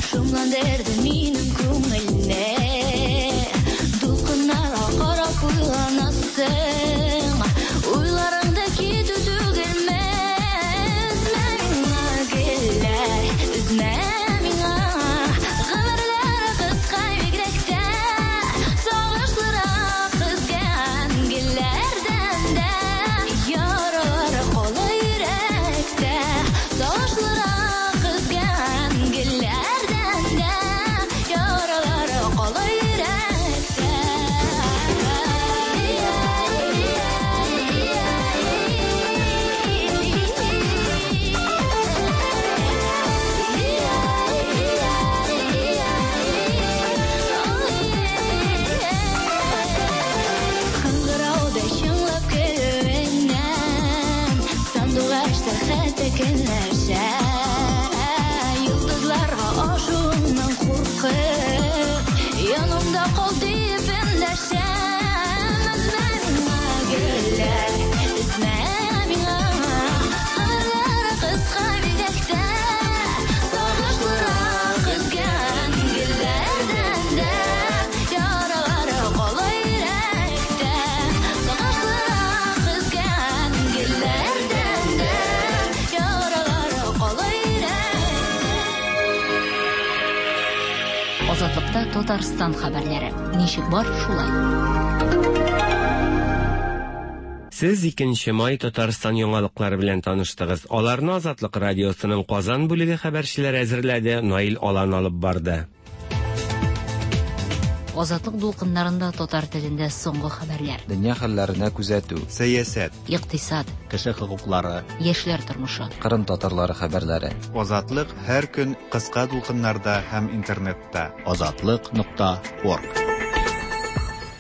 Шомландырды минем күңелне, дулкыннарга карап уйланасың, уйларыңда китү түгелме? Өзмә миңа, гөлләр, өзмә миңа, гомерләр кыска бигрәк тә, сагышлырак өзгән гөлләрдән дә, яралар кала йөрәктә, сагышлырак өзгән гөлләр. Көнләшә, йолдызларга ашуыңнан куркып, янымда кал дип эндәшәм. Өзмә миңа, гөлләр, өзмә миңа, гомерләр кыска бигрәк тә, сагышлырак өзгән гөлләрдән дә, яралар кала йөрәктә, сагышлырак өзгән гөлләрдән дә. Азатлыкта Татарстан хәбәрләре. Ничек бар, шулай. Сез икенче май Татарстан яңалыклары белән таныштыгыз. Аларны Азатлык радиосының Казан бүлеге хәбәрчеләре әзерләде, Наил Алан алып барды. Азатлык дулкыннарында татар телендә соңгы хәбәрләр. Дөнья хәлләренә күзәтү, сәясәт, икътисад, кеше хокуклары, яшьләр тормышы, Кырым татарлары хәбәрләре. Азатлык һәр көн кыска дулкыннарда һәм интернетта. Азатлык нокта орг.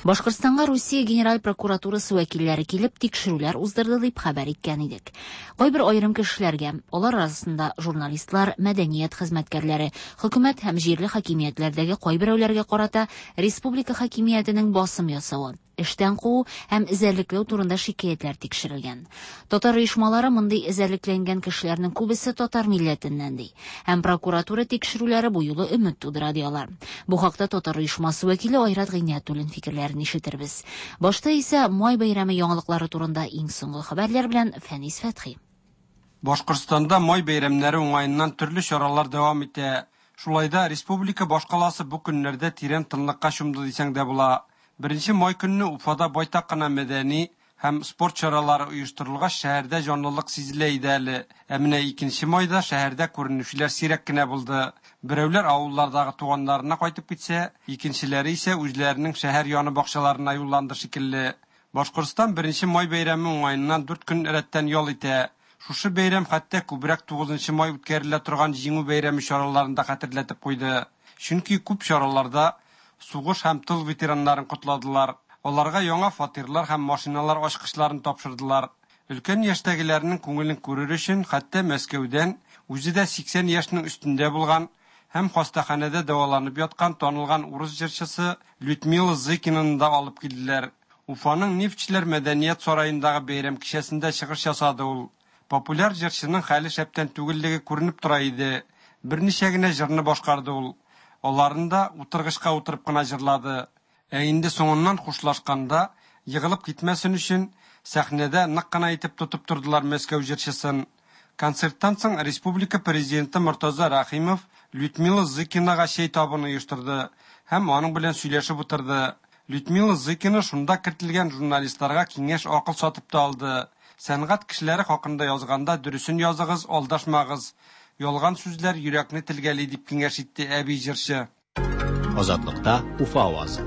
Башкортстанга Русия Генераль прокуратурасы вәкилләре килеп тикшерүләр уздырды дип хәбәр иткән идек. Кайбер аерым кешеләргә, алар арасында журналистлар, мәдәният хезмәткәрләре, хөкүмәт һәм җирле хакимиятләрдәге кайберәүләргә карата республика хакимиятенең басым ясавы, эштән куу һәм эзәрлекләү турында шикаятьләр тикшерелгән. Татар оешмалары мондый эзәрлекләнгән кешеләрнең күбесе татар милләтеннән ди. Һәм прокуратура тикшерүләре бу юлы өмет тудыра ди алар. Бу хакта татар оешмасы вәкиле Айрат Гыйниятуллин фикерләрен ишетербез. Башта исә май бәйрәме яңалыклары турында иң соңгы хәбәрләр белән Фәнис Фәтхи. Башкортстанда май бәйрәмнәре уңаеннан төрле чаралар дәвам итә. Шулай да республика башкаласы бу көннәрдә тирән тынлыкка чумды дисәң дә була. Беренче май көнне Уфада байтак кына мәдәни һәм спорт чаралары оештырылгач, шәһәрдә җанлылык сизелә иде әле. Ә менә икенче майда шәһәрдә күренүчеләр сирәк кенә булды. Берәүләр авыллардагы туганнарына кайтып китсә, икенчеләре исә үзләренең шәһәр яны бакчаларына юлланды шикелле. Башкортстан беренче май бәйрәме уңаеннан дүрт көн рәттән ял итә. Шушы бәйрәм хәтта күбрәк тугызынчы май үткәрелә торган Җиңү бәйрәме чараларында хәтерләтеп куйды. Чөнки күп чараларда сугыш һәм тыл ветераннарын котладылар. Аларга яңа фатирлар һәм машиналар ачкычларын тапшырдылар. Өлкән яшьтәгеләрнең күңелен күрер өчен хәтта Мәскәүдән үзе дә сиксән яшьнең өстендә булган һәм хастаханәдә дәваланып яткан танылган урыс җырчысы Людмила Зыкинаны да алып килделәр. Уфаның Нефтьчеләр мәдәният сараендагы бәйрәм кичәсендә чыгыш ясады ул. Популяр җырчының хәле шәптән түгеллеге күренеп тора иде. Берничә генә җырны башкарды ул. Аларын да утыргычка утырып кына җырлады. Ә инде соңыннан хушлашканда егылып китмәсен өчен сәхнәдә нык кына итеп тотып тордылар Мәскәү җырчысын. Концерттан соң республика президенты Мортаза Рәхимов Людмила Зыкинага чәй табыны оештырды һәм аның белән сөйләшеп утырды. Людмила Зыкина шунда кертелгән журналистларга киңәш акыл сатып та алды. Сәнгать кешеләре хакында язганда дөресен языгыз, алдашмагыз. Ялган сүзләр йөрәкне телгәли дип киңәш итте әби җырчы. Азатлыкта Уфа авазы.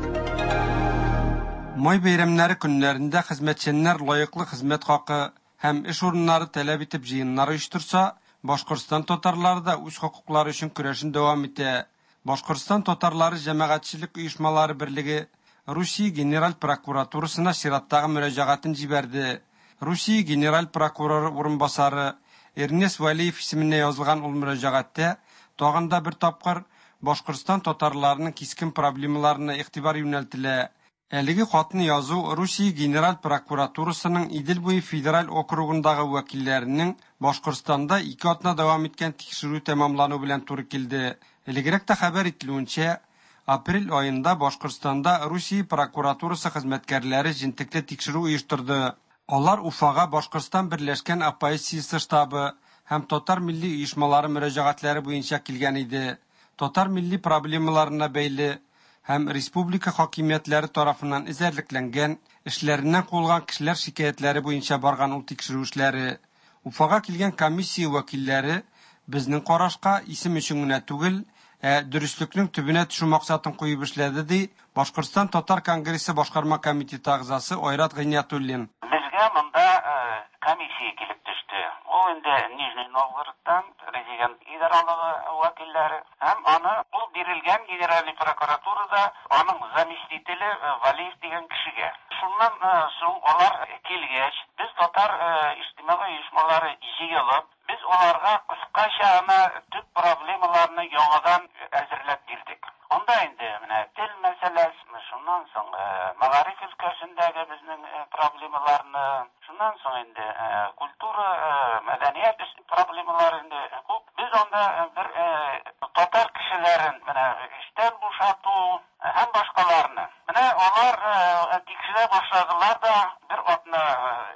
Май бәйрәмнәре көннәрендә хезмәтчәннәр лаеклы хезмәт хакы һәм эш урыннары таләп итеп җыеннар оештырса, Башкортстан татарлары да үз хокуклары өчен көрәшен дәвам итә. Башкортстан татарлары җәмәгатьчелек оешмалары берлеге Русия Генераль прокуратурасына чираттагы мөрәҗәгатен җибәрде. Русия Генераль прокуроры урынбасары Эрнест Вәлиев исеменә язылган ул мөрәҗәгатьтә тагын да бер тапкыр Башкортстан татарларының кискен проблемаларына игътибар юнәлтелә. Әлеге хатны язу Русия Генераль прокуратурасының Идел буе федераль округындагы вәкилләренең Башкортстанда ике атна дәвам иткән тикшерү тәмамлану белән туры килде. Элегрәк тә хәбәр ителүенчә, апрель аенда Башкортстанда Русия прокуратурасы хезмәткәрләре җентекле тикшерү оештырды. Алар Уфага Башкортстан Берләшкән оппозициясе штабы һәм татар милли оешмалары мөрәҗәгатьләре буенча килгән иде. Татар милли проблемаларына бәйле һәм республика хакимиятләре тарафыннан эзәрлекләнгән, эшләреннән куылган кешеләр шикаятьләре буенча барган ул тикшерү эшләре. Уфага килгән комиссия вәкилләре безнең карашка исем өчен генә түгел, ә дөреслекнең төбенә төшү максатын куеп эшләде, ди Башкортстан Татар конгрессы башкарма комитеты әгъзасы Айрат Гыйниятуллин. Безгә монда комиссия килеп төште. Ул инде Нижний Новгородтан президент идаралыгы вәкилләре һәм аны ул бирелгән генеральный прокуратурада аның заместителе Валиев дигән кешегә. Шуннан соң алар килгәч, без татар иҗтимагый оешмалары җыелып, без аларга кыскача гына төп проблемаларны яңадан әзерләп бирдек. Анда инде менә тел мәсьәләсе, шуннан соң мәгариф өлкәсендәге безнең проблемаларны, шуннан соң инде культура, мәдәният проблемалары инде күп. Без анда бер татар кешеләрен менә эштән бушату һәм башкаларны. Менә алар тикшерә башладылар да, бер атна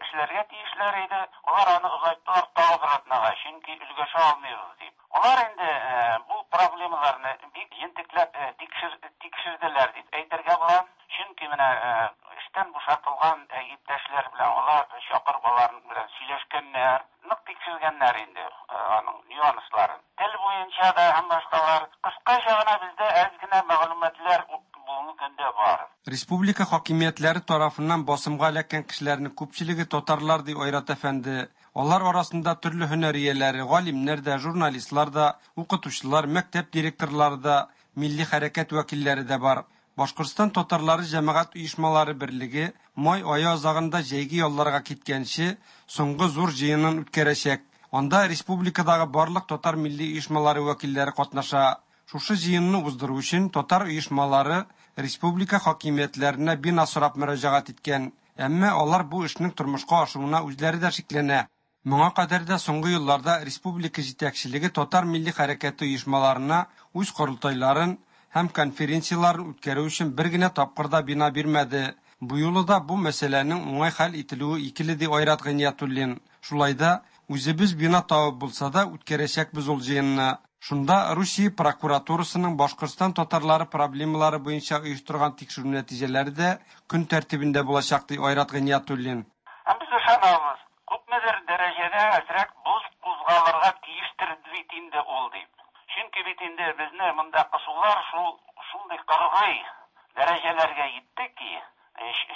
эшләргә тиешләр иде. Алар аны озайттылар тагы бер атнага, чөнки өлгәшә алмыйбыз дип. Алар инде бу проблемаларны бик җентекләп тикшерделәр дип әйтергә була. Чөнки менә эштән бушатылган иптәшләр белән алар чакырып алар белән сөйләшкәннәр, нык тикшергәннәр инде аның нюансларын. Тел буенча да һәм башкалар. Кыскача гына бездә әз генә мәгълүматлар бүгенге көндә бар. Республика хакимиятләре тарафыннан басымга эләккән кешеләрнең күпчелеге татарлар, ди Айрат әфәнде. Алар арасында төрле һөнәр ияләре, галимнәр дә, журналистлар да, укытучылар, мәктәп директорлары да, милли хәрәкәт вәкилләре дә бар. Башкортстан татарлары җәмәгать оешмалары берлеге май ае азагында җәйге ялларга киткәнче соңгы зур җыенын үткәрәчәк. Анда республикадагы барлык татар милли оешмалары вәкилләре катнаша. Шушы җыенны уздыру өчен татар оешмалары республика хакимиятләренә бина сорап мөрәҗәгать иткән. Әмма алар бу эшнең тормышка ашуына үзләре дә шикләнә. Моңа кадәр дә соңгы елларда республика җитәкчелеге татар милли хәрәкәте оешмаларына үз корылтайларын һәм конференцияларын үткәрү өчен бер генә тапкыр да бина бирмәде. Бу юлы да бу мәсьәләнең уңай хәл ителүе икеле, ди Айрат Гыйниятуллин. Шулай да үзебез бина табып булса да үткәрәчәкбез ул җыенны. Шунда Русия прокуратурасының Башкортстан татарлары проблемалары буенча оештырган тикшерү нәтиҗәләре дә көн тәртибендә булачак, ди Айрат Гыйниятуллин. Һәм без ышанабыз, күпмедер дәрәҗәдә әзрәк боз кузгалырга тиештер бит инде ул дип. Чөнки бит инде безне монда кысулар шул шундый кыргый дәрәҗәләргә җитте ки,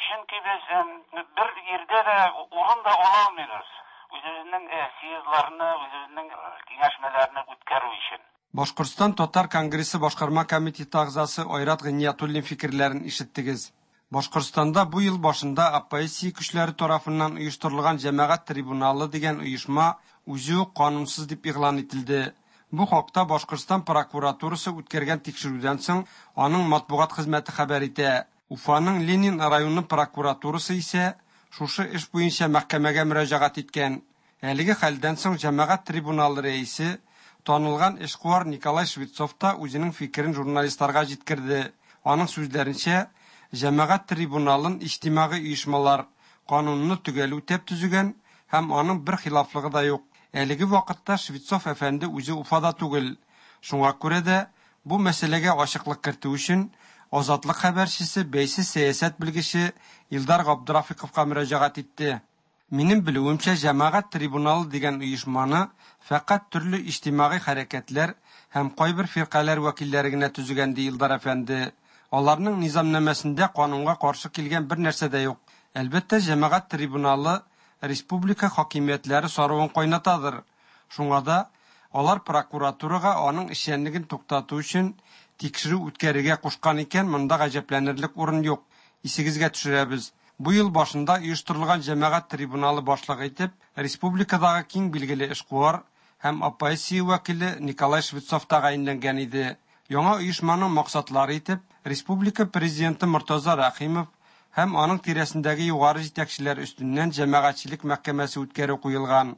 чөнки без бер җирдә дә урын да ала алмыйбыз. Үзебезнең съездларны, үзебезнең киңәшмәләрне үткәрү өчен. Башкортстан татар конгрессы башкарма комитеты әгъзасы Айрат Гыйниятуллин фикерләрен ишеттегез. Башкортстанда бу ел башында оппозиция көчләре тарафыннан оештырылган җәмәгать трибуналы дигән оешма үзе үк канунсыз дип игълан ителде. Бу хакта Башкортстан прокуратурасы үткәргән тикшерүдән соң аның матбугат хезмәте хәбәр итә. Уфаның Ленин районы прокуратурасы исә шушы эш буенча мәхкәмәгә мөрәҗәгать иткән. Әлеге хәлдән соң җәмәгать трибуналы рәисе танылган эшкуар Николай Швецов та үзенең фикерен журналистларга җиткерде. Аның сүзләренчә, җәмәгать трибуналын иҗтимагый оешмалар канунны төгәл үтәп төзегән һәм аның бер хилафлыгы да юк. Әлеге вакытта Швецов әфәнде үзе Уфада түгел. Шуңа күрә дә бу мәсьәләгә ачыклык кертү өчен Азатлык хәбәрчесе бәйсез сәясәт белгече Илдар Габдрафиковка мөрәҗәгать итте. Минем белүемчә, җәмәгать трибуналы дигән оешманы фәкать төрле иҗтимагый хәрәкәтләр һәм кайбер фиркаләр вәкилләре генә төзегән, ди Илдар әфәнде. Аларның низамнамәсендә канунга каршы килгән бер нәрсә дә юк. Әлбәттә, җәмәгать трибуналы республика хакимиятләре саруын кайнатадыр. Шуңа да алар прокуратурага аның эшчәнлеген туктату өчен тикшерү үткәрергә кушкан икән, монда гаҗәпләнерлек урын юк. Исегезгә төшерәбез. Бу ел башында оештырылган җәмәгать трибуналы башлыгы итеп республикадагы киң билгеле эшкуар һәм оппозиция вәкиле Николай Швецов тәгаенләнгән иде. Яңа оешманың максатлары итеп республика президенты Мортаза Рәхимов һәм аның тирәсендәге югары җитәкчеләр өстеннән җәмәгатьчелек мәхкәмәсе үткәрү куелган.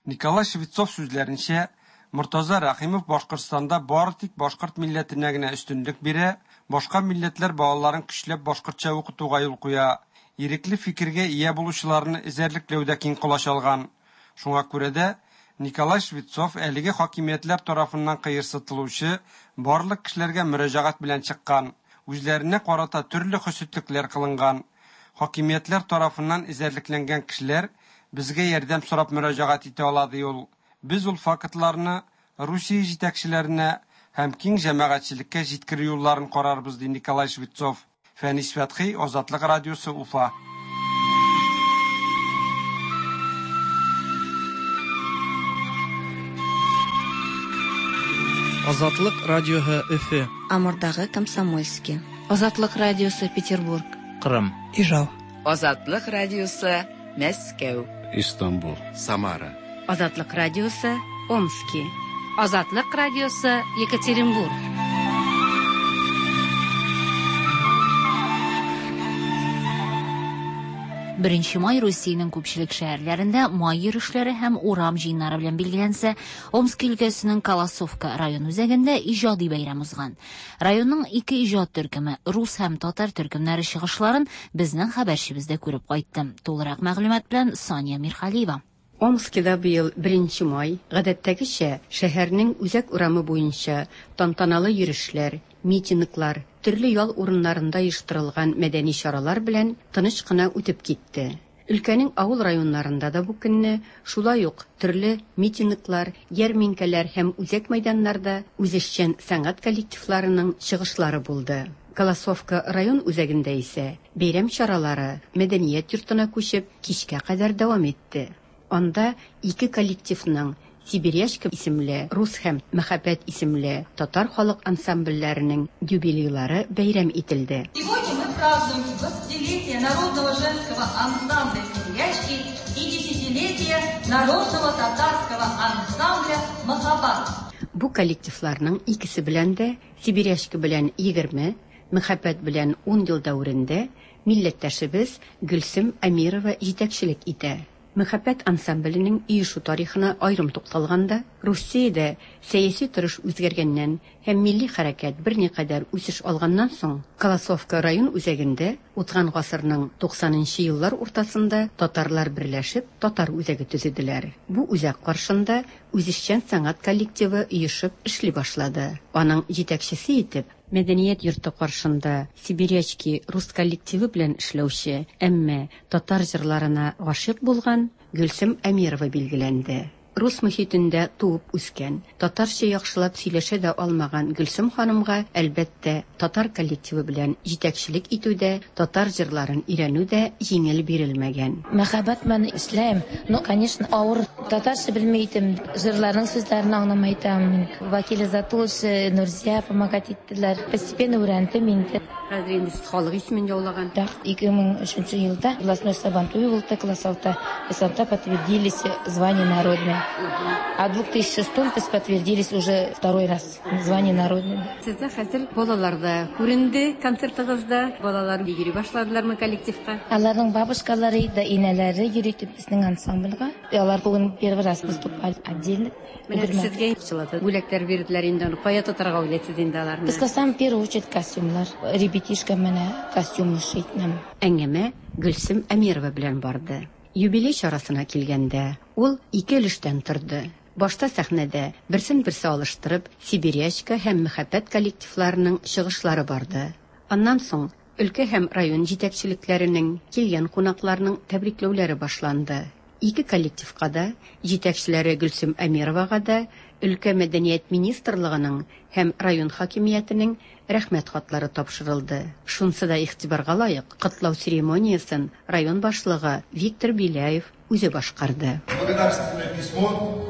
Николай Швецов сүзләренчә, Мортаза Рәхимов Башкортстанда бары тик башкорт милләтенә генә өстенлек бирә, башка милләтләр балаларын көчләп башкортча укытуга юл куя. Ирекле фикергә ия булучыларны эзәрлекләүдә киң колач алган. Шуңа күрә дә Николай Швецов әлеге хакимиятләр тарафыннан кыерсытылучы барлык кешеләргә мөрәҗәгать белән чыккан. Үзләренә карата төрле хөсетлекләр кылынган. Хакимиятләр тарафыннан эзәрлекләнгән кешеләр безгә ярдәм сорап мөрәҗәгать итә ала, ди ул. Без ул фактларны Русия җитәкчеләренә һәм киң җәмәгатьчелеккә җиткерү юлларын карарбыз, ди Николай Швецов. Фәнис Фәтхи, Азатлык радиосы, Уфа. Азатлык радиоһы Өфе. Амурдагы Комсомольский. Азатлык радиосы Петербург. Кырым. Ижау. Азатлык радиосы Мәскәү. Истанбул. Самара. Азатлык радиосы Омски. Азатлык радиосы Екатеринбург. Беренче май Русиянең күпчелек шәһәрләрендә май йөрешләре һәм урам җыеннары белән билгеләнсә, Омск өлкәсенең Колосовка район үзәгендә иҗади бәйрәм узган. Районның ике иҗат төркеме, рус һәм татар төркемнәре чыгышларын безнең хәбәрчебез дә күреп кайтты. Тулырак мәгълүмат белән Сания Мирхалиева. Омскида быел беренче май гадәттәгечә шәһәрнең үзәк урамы буенча тантаналы йөрешләр, митинглар, төрле ял урыннарында оештырылган мәдәни чаралар белән тыныч кына үтеп китте. Өлкәнең авыл районнарында да бу көнне шулай ук төрле митинглар, ярминкәләр һәм үзәк мәйданнарда үзешчән сәнгать коллективларының чыгышлары булды. Колосовка район үзәгендә исә бәйрәм чаралары мәдәният йортына күчеп кичкә кадәр дәвам итте. Анда ике коллективның Сибирячка исемле рус һәм Мәхәббәт исемле татар халык ансамбльләренең юбилейлары бәйрәм ителде. Сегодня мы празднуем двадцатилетие народного женского ансамбля «Сибирячки» и десятилетие народного татарского ансамбля «Махаббат». Бу коллективларның икесе белән дә Сибирячка белән егерме, Мәхәббәт белән ун ел дәверендә милләттәшебез Гөлсем Әмирова җитәкчелек итә. Мәхәббәт ансамбленең оешу тарихына аерым тукталганда, Русиядә сәяси торыш үзгәргәннән һәм милли хәрәкәт берникадәр үсеш алганнан соң, Колосовка район үзәгендә узган гасырның туксанынчы еллар уртасында татарлар берләшеп татар үзәге төзеделәр. Бу үзәк каршында үзешчән сәнгать коллективы оешып эшли башлады. Аның җитәкчесе итеп Мәдәният йорты каршында Сибирячки рус коллективы белән эшләүче, әмма татар җырларына гашыйк булган Гөлсем Әмирова билгеләнде. Рус мөхитендә туып үскән, татарча яхшылап сөйләшә дә алмаган Гөлсем ханымга, әлбәттә, татар коллективы белән җитәкчелек итү дә, татар җырларын өйрәнү дә җиңел бирелмәгән. Мәхәббәт белән эшләйм. Ну, конечно, авыр. Татарча белми идем, җырларның сүзләрен аңламый идем. Вакиле Затулыш, Нурзия помогать иттеләр. Постепенно өйрәндем инде. Хәзер инде сез халык исемен яулаган. Да, ике мең өченче елда областной сабантуй булды, класс алты. Сабантуйда подтвердились звание народное. А в две тысячи шестом подтвердились уже второй раз звание народное. Сездә хәзер балалар да күренде концертыгызда. Балалар йөри башладылармы коллективка? Аларның бабушкалары да инәләре йөри безнең ансамбльгә. Алар бүген первый раз выступали отдельно. Менә сезгә акчалата бүләкләр бирделәр инде, аны кая тотарга уйлыйсыз инде аларны? Безгә сам в первую очередь костюмлар. Ребятишка менә костюм шить нам. Әңгәмә Гөлсем Әмирова белән барды. Юбилей чарасына килгәндә, ул ике өлештән торды. Башта сәхнәдә берсен-берсе алыштырып, Сибирячка һәм Мәхәббәт коллективларының чыгышлары барды. Аннан соң өлкә һәм район җитәкчелекләренең, килгән кунакларның тәбрикләүләре башланды. Ике коллективка да, җитәкчеләре Гөлсем Әмировага да, өлкә мәдәният министрлыгының һәм район хакимиятенең рәхмәт хатлары тапшырылды. Шунсы да игътибарга лаек, котлау церемониясен район башлыгы Виктор Беляев үзе башкарды. Благодарственное письмо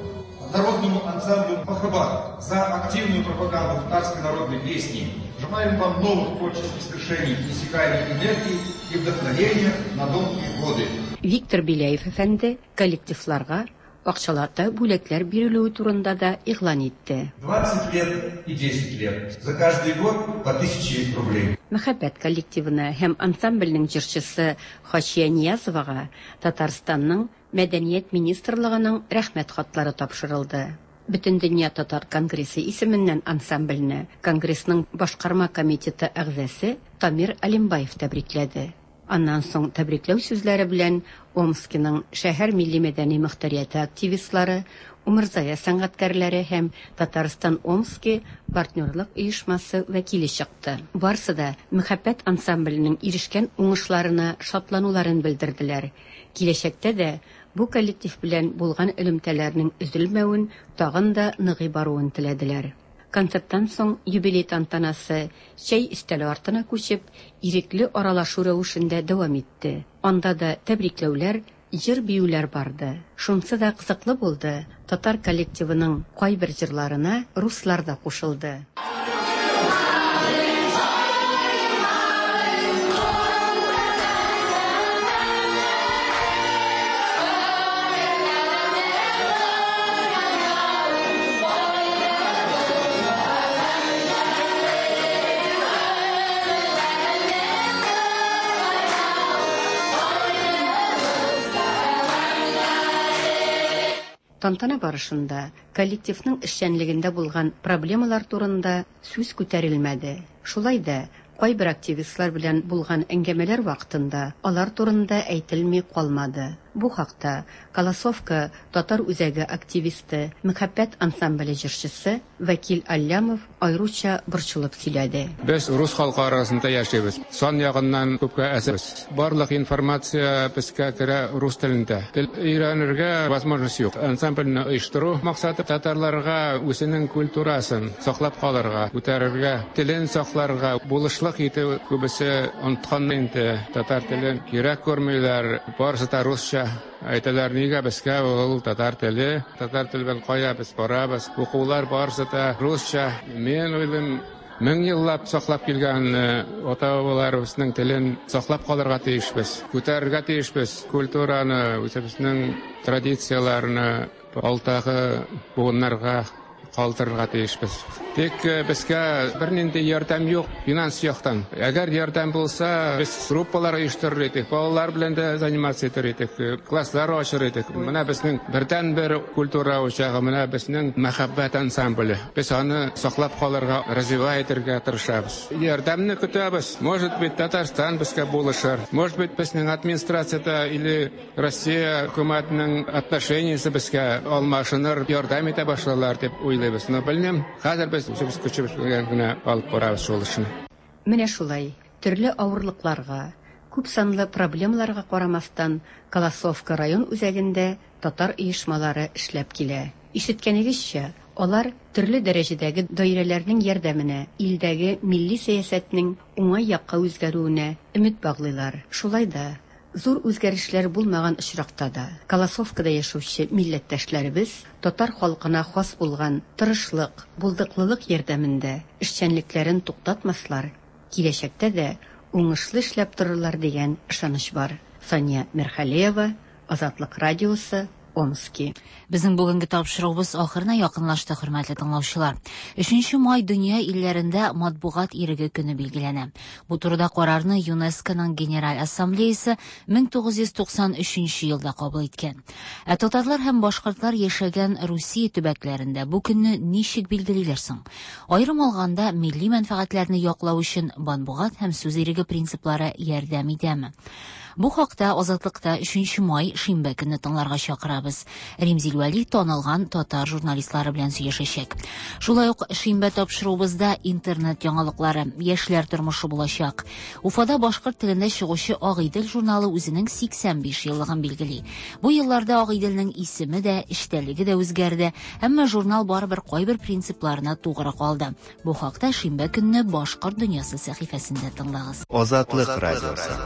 народному ансамблю «Махаббат» за активную пропаганду татарской народной песни. Желаем вам новых творческих свершений, иссякаемой энергии и вдохновения на долгие годы. Виктор Беляев әфәнде коллективларга акчалата бүләкләр бирелүе турында да игълан итте. двадцать лет и десять лет. За каждый год по тысяче рублей. Мәхәббәт коллективына һәм ансамбльнең җырчысы Хачия Ниязовага Татарстанның Мәдәният министрлыгының рәхмәт хатлары тапшырылды. Бөтендөнья татар конгрессы исеменнән ансамбльне Конгрессның башкарма комитеты әгъзасы Тамир Алимбаев тәбрикләде. Аннан соң тәбрикләү сүзләре белән Омскиның шәһәр милли мәдәни мөхтәрияте активистлары, Умырзая сәнгатькәрләре һәм Татарстан Омски партнерлык оешмасы вәкиле чыкты. Барсы да Мәхәббәт ансамбленең ирешкән уңышларына шатлануларын белдерделәр. Киләчәктә дә бу коллектив белән булган элемтәләрнең өзелмәвен, тагын да ныгый баруын теләделәр. Концерттан соң юбилей тантанасы чәй өстәле артына күчеп, ирекле аралашу рәвешендә дәвам итте. Анда да тәбрикләүләр, җыр-биюләр барды. Шунсы да кызыклы булды. Татар коллективының кайбер җырларына руслар да кушылды. Тантана барышында коллективның эшчәнлегендә булган проблемалар турында сүз күтәрелмәде. Шулай да кайбер активистлар белән булган әңгәмәләр вакытында алар турында әйтелми калмады. Бу хакта Колосовка татар үзәге активисты, Мәхәббәт ансамбле җырчысы Вәкил Аллямов аеруча борчылып сөйләде. Без рус халкы арасында яшибез. Сан ягыннан күпкә әзербез. Барлык информация безгә керә рус телендә. Тел өйрәнергә возможность юк. Ансамбльне оештыру максаты татарларга үзенең культурасын саклап калырга, күтәрергә, телен сакларга булышлык итү. Күбесе оныткан инде татар телен, кирәк күрмиләр, барысы да русча. Әйтәләр, нигә безгә ул татар теле, татар теле белән кая без барабыз, укулар барысы да русча. Мин уйлыйм, мең еллап саклап килгән ата-бабаларыбызның телен саклап калырга тиешбез, күтәрергә тиешбез. Культураны, үзебезнең традицияләрне алдагы буыннарга калдырырга тиешбез. Тик безгә бернинди ярдәм юк финанс яктан. Әгәр ярдәм булса, без группалар оештырыр идек, балалар белән дә заниматься итер идек, класслар ачыр идек. Менә безнең бердәнбер культура учагы, менә безнең Мәхәббәт ансамбле. Без аны саклап калырга, развивать итәргә тырышабыз. Ярдәмне көтәбез. Может быть, Татарстан безгә булышыр. Может быть, безнең администрацияда или Россия хөкүмәтенең отношениясе безгә алмашыныр, ярдәм итә башларлар дип уйлыйбыз. Но белмим, хәзер без үзебез көчебез белән генә алып барабыз шул эшне. Менә шулай, төрле авырлыкларга, Күп санлы проблемаларга карамастан, Колосовка район үзәгендә татар оешмалары эшләп килә. Ишеткәнегезчә, алар төрле дәрәҗәдәге даирәләрнең ярдәменә, илдәге милли сәясәтнең уңай якка үзгәрүенә өмет баглыйлар. Шулай да, зур үзгәрешләр булмаган очракта да, Колосовкада яшәүче милләттәшләребез татар халкына хас булган тырышлык, булдыклылык ярдәмендә эшчәнлекләрен туктатмаслар, киләчәктә дә уңышлы эшләп торырлар дигән ышаныч бар. Сания Мирхалеева, Азатлык радиосы, Омски. Безнең бүгенге тапшыруыбыз ахырына якынлашты, хөрмәтле тыңлаучылар. Өченче май дөнья илләрендә матбугат иреге көне билгеләнә. Бу турыда карарны ЮНЕСКОның Генераль Ассамблеясы мең тугыз йөз туксан өченче елда кабул иткән. Ә татарлар һәм башкортлар яшәгән Русия төбәкләрендә бу көнне ничек билгелиләр соң? Аерым алганда, милли мәнфәгатьләрне яклау өчен матбугат һәм сүз иреге принциплары ярдәм итәме? Бу хакта Азатлыкта өченче май шимбә көнне тыңларга чакырабыз. Римзил Вәли танылган татар журналистлары белән сөйләшәчәк. Шулай ук шимбә тапшыруыбызда интернет яңалыклары, яшьләр тормышы булачак. Уфада башкорт телендә чыгучы Агыйдел журналы үзенең сиксән биш еллыгын билгели. Бу елларда Агыйделнең исеме дә, эчтәлеге дә үзгәрде, әмма журнал барыбер кайбер принципларына тугры калды. Бу хакта шимбә көнне Башкорт дөньясы сәхифәсендә тыңлагыз. Азатлык радиосы.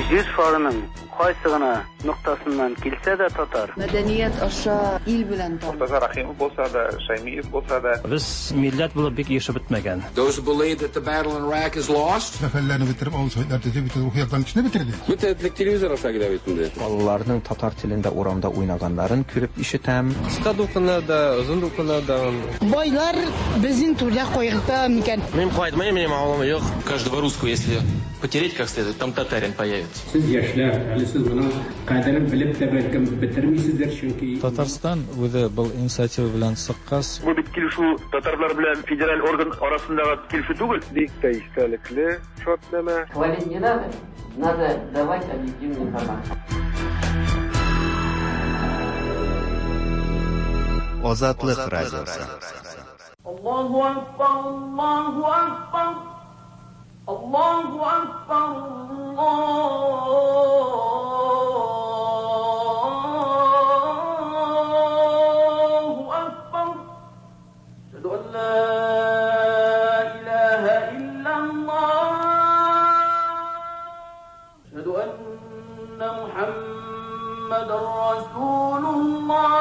Җир шарының кайсы гына ноктасыннан килсә дә татар. Мәдәният аша ил белән танып. Мортаза Рахимов булса да, Шаймиев булса да. Без милләт булып бик яшәп бетмәгән. Those who believe that the battle in Iraq is lost. Мәхәлләне бетереп, авыл советлар төзеп, бөтен рухи яктан кешене бетерде. Бөтен телевизор аша килә бит инде. Балаларның татар телендә урамда уйнаганнарын күреп ишетәм. Кыска дулкыннарда, озын дулкыннарда. Байлар безнең түрдә кайгырта микән? Мин кайтмыйм, минем авылым юк. Каждого русского, если потереть как следует, там татарин появится. Сез яшьләр, әле сез моның кадерен белеп тә бәлкем бетермисездер, чөнки Татарстан үзе был инициатива белән чыккач. Бу бит килешү татарлар белән федераль орган арасындагы килешү түгел. Бик тә истәлекле шартнамә. Хвалить не надо, надо давать объективную информацию. Азатлык радиосы. Аллаһу акбар, Аллаһу акбар. Аллаһу акбар, Аллаһу акбар. Ашһаду ан ла илаһа иллаллаһ. Ашһаду анна Мухаммадан расулуллаһ.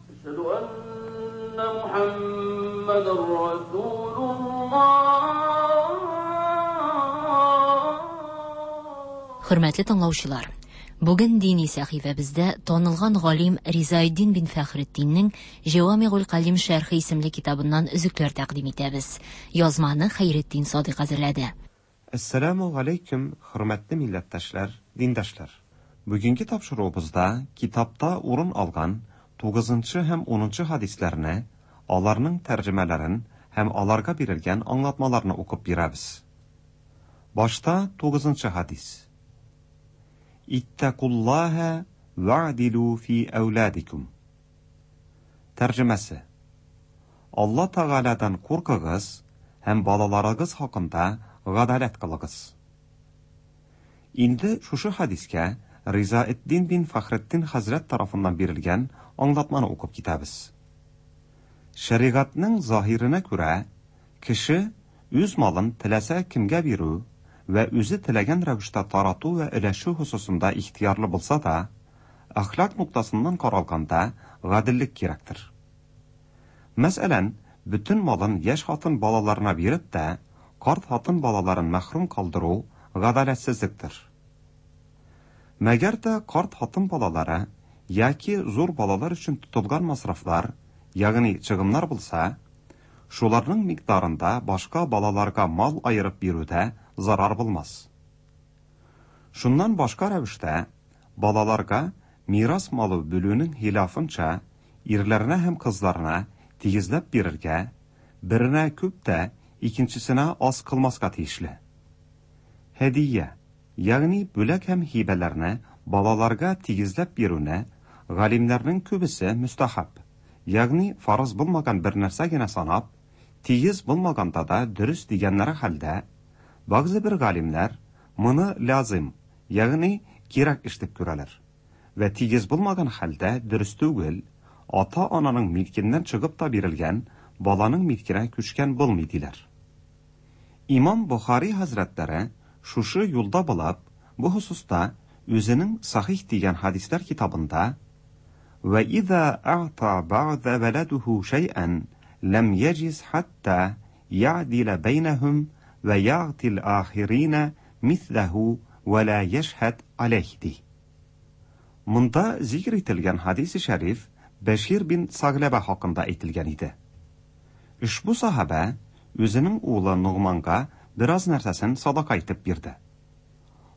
Ашһаду анна Мухаммадан Хөрмәтле тыңлаучылар, бүген дини сәхифәбездә танылган галим Ризаэддин бин Фәхретдиннең Җавамигул Калим шәрхе исемле китабыннан өзекләр тәкъдим итәбез. Язманы Хәйретдин Садыйк әзерләде. Әссәламу алейкум, хөрмәтле милләттәшләр, диндашлар. Бүгенге тапшыруыбызда китапта урын алган тугызынчы һәм унынчы хадисләрне, аларның тәрҗемәләрен һәм аларга бирелгән аңлатмаларны укып бирәбез. Башта тугызынчы хадис. Иттакуллаһа ва'дилу фи әүладикум. Тәрҗемәсе: Алла Тәгаләдән куркыгыз һәм балаларыгыз хакында гадаләт кылыгыз. Инде шушы хадискә Ризаэддин бин Фәхретдин хәзрәт тарафыннан бирелгән аңлатманы укып китәбез. Шәригатьнең заһиренә күрә, кеше үз малын теләсә кемгә бирү вә үзе теләгән рәвештә тарату вә өләшү хосусында ихтиярлы булса да, әхлак ноктасыннан каралганда гаделлек кирәктер. Мәсәлән, бөтен малын яшь хатын балаларына биреп тә, карт хатын балаларын мәхрүм калдыру гадаләтсезлектер. Мәгәр дә карт хатын балалары яки зур балалар өчен тотылган масрафлар, ягъни чыгымнар булса, шуларның микъдарында башка балаларга мал айырып бирүдә зарар булмас. Шуннан башка рәвештә балаларга мирас малы бүлүнең хилафынча ирләренә һәм кызларына тигезләп бирергә, беренә күп тә, икенчесенә аз кылмаска тиешле. Һәдия, ягъни бүләк һәм һибәләрне балаларга тигезләп бирүне галимнәрнең күбесе мөстәхәб, ягъни фарыз булмаган бер нәрсә генә санап, тигез булмаганда да дөрес дигәннәре хәлдә, бәгъзе бер галимнәр моны лязим, ягъни кирәк эш дип күрәләр. Вә тигез булмаган хәлдә дөрес түгел, ата-ананың милкеннән чыгып та бирелгән баланың милкенә күчкән булмый диләр. Имам Бухари хәзрәтләре шушы юлда булып, бу хосуста үзенең Сахих дигән хәдисләр китабында «Вә иза а'та бa'да валадуху шәй'ән ләм яҗиз хатта я'дила бәйнәһум вә я'тил ахирина мисләһу вә ла яшһәд алейх» ди. Монда зикр ителгән хадис-и шәриф Бәшир бин Сагләбә хакында әйтелгән иде. Ошбу сахабә үзенең улы Нугманга бераз нәрсәсен садака итеп бирде.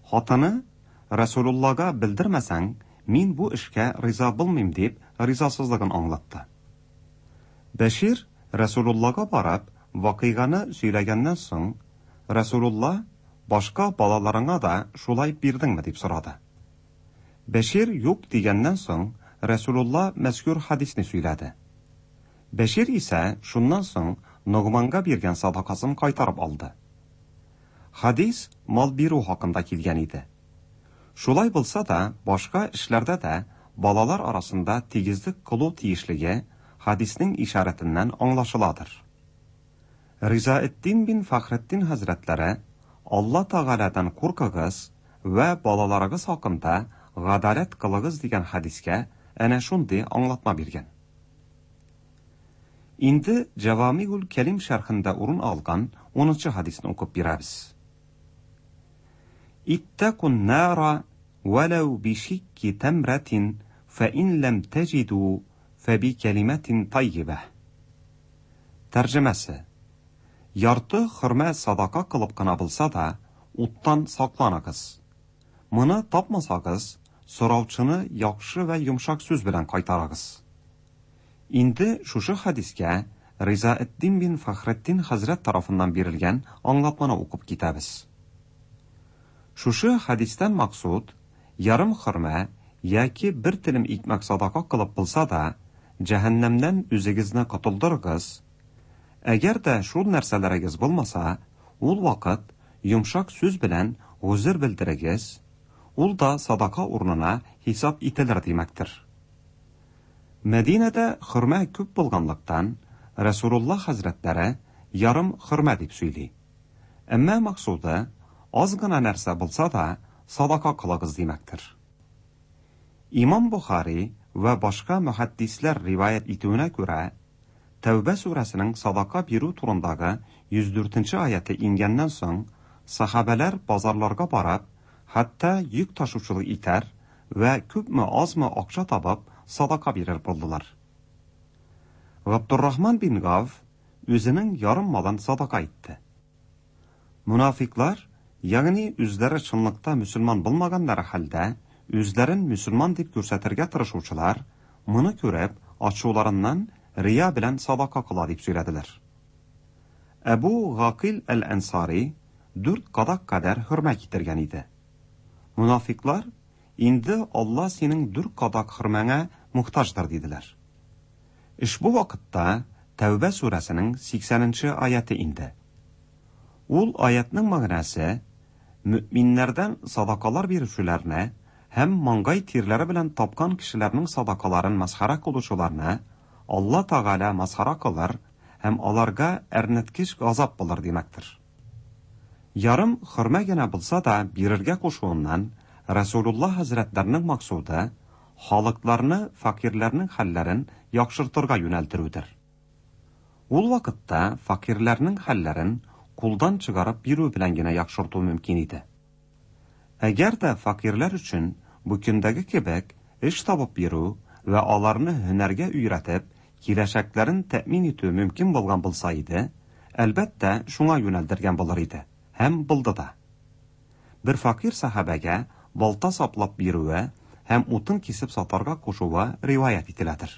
Хатыны Расулуллага белдермәсәң, мин бу эшкә риза булмыйм дип ризасызлыгын аңлатты. Бәшир Расулуллага барып, вакыйганы сөйләгәннән соң, Расулулла башка балаларыңа да шулай бирдеңме дип сорады. Бәшир юк дигәннән соң, Расулулла мәзкур хадисне сөйләде. Бәшир исә шуннан соң Нугманга биргән садакасын кайтарып алды. Хадис мал бирү хакында килгән иде. Шулай булса да, башка эшләрдә дә балалар арасында тигезлек кылу тиешлеге хадиснең ишарәтеннән аңлашыладыр. Ризаэддин бин Фәхретдин хәзрәтләре Алла Тәгаләдән куркыгыз вә балаларыгыз хакында гадаләт кылыгыз дигән хадискә әнә шундый аңлатма биргән. Инде Җавамигул Кәлим шәрхендә урын алган унынчы хадисне укып бирәбез. Иттакун нара валау бишикки тамратин фа ин лам таҗиду фа би калиматин таййиба. Тәрҗемәсе: ярты хөрмә садака кылып кына булса да, уттан сакланыгыз. Моны тапмасагыз, сораучыны яхшы вә йомшак сүз белән кайтарыгыз. Инде шушы хадискә Ризаэддин бин Фәхретдин хәзрәт тарафыннан бирелгән аңлатманы укып китәбез. Шушы хадистән максуд ярым хөрмә яки бер телем икмәк садака кылып булса да, җәһәннәмнән үзегезне котылдырыгыз. Әгәр дә шул нәрсәләрегез булмаса, ул вакыт йомшак сүз белән гозер белдерегез, ул да садака урынына хисап ителер димәктер. Мәдинәдә хөрмә күп булганлыктан, Расулулла хәзрәтләре ярым хөрмә дип сөйли. Әмма максуды аз гына нәрсә булса да садака кылыгыз димәктер. Имам Бухари вә башка мөхәддисләр риваять итүенә күрә, Тәүбә сүрәсенең садака бирү турындагы йөз дүртенче аяты ингәннән соң, сахабәләр базарларга барып, хәтта йөк ташучылык итәр вә күпме азмы акча табып садака бирер булдылар. Габдуррахман бин Гав үзенең ярым малын садака итте. Мунафиклар, ягъни үзләре чынлыкта мөселман булмаганнары хәлдә, үзләрен мөселман дип күрсәтергә тырышучылар, моны күреп, ачуларыннан рия белән садака кыла дип сөйләделәр. Әбу Гакил әл-Ансари дүрт кадак кадәр хөрмә китергән иде. Мунафиклар, инде Алла синең дүрт кадак хөрмәңә мохтаҗдыр диделәр. Ошбу вакытта Тәүбә сүрәсенең сиксәненче аяты инде. Ул аятның мәгънәсе мөэминнәрдән садакалар бирүчеләрне һәм маңгай тирләре белән тапкан кешеләрнең садакаларын масхара кылучыларны Алла Тәгалә масхара кылыр һәм аларга әрнеткеч газап булыр димәктер. Ярым хөрмә генә булса да бирергә кушуыннан Расулулла хәзрәтләренең максуды халыкларны факирләрнең хәлләрен яхшыртырга юнәлдерүдер. Ул вакытта факирләрнең хәлләрен кулдан чыгарып бирү белән генә яхшырту мөмкин иде. Әгәр дә факирләр өчен бу көндәге кебек эш табып бирү вә аларны һөнәргә өйрәтеп, киләчәкләрен тәэмин итү мөмкин булган булса иде, әлбәттә, шуңа юнәлдергән булыр иде һәм булды да. Бер факир сахабәгә балта саплап бирүе һәм утын кисеп сатарга кушуы риваять ителәдер.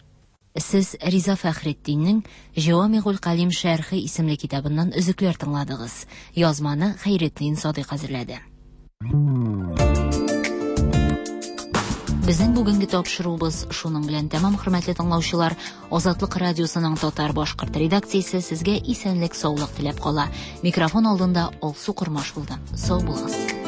Сез Риза Фәхретдиннең Җавамигул Калим шәрхе исемле китабыннан өзекләр тыңладыгыз. Язманы Хәйретдин Садыйк әзерләде. Безнең бүгенге тапшыруыбыз шуның белән тәмам, хөрмәтле тыңлаучылар. Азатлык радиосының татар-башкорт редакциясе сезгә исәнлек-саулык теләп кала. Микрофон алдында Алсу Кормаш булды. Сау булыгыз.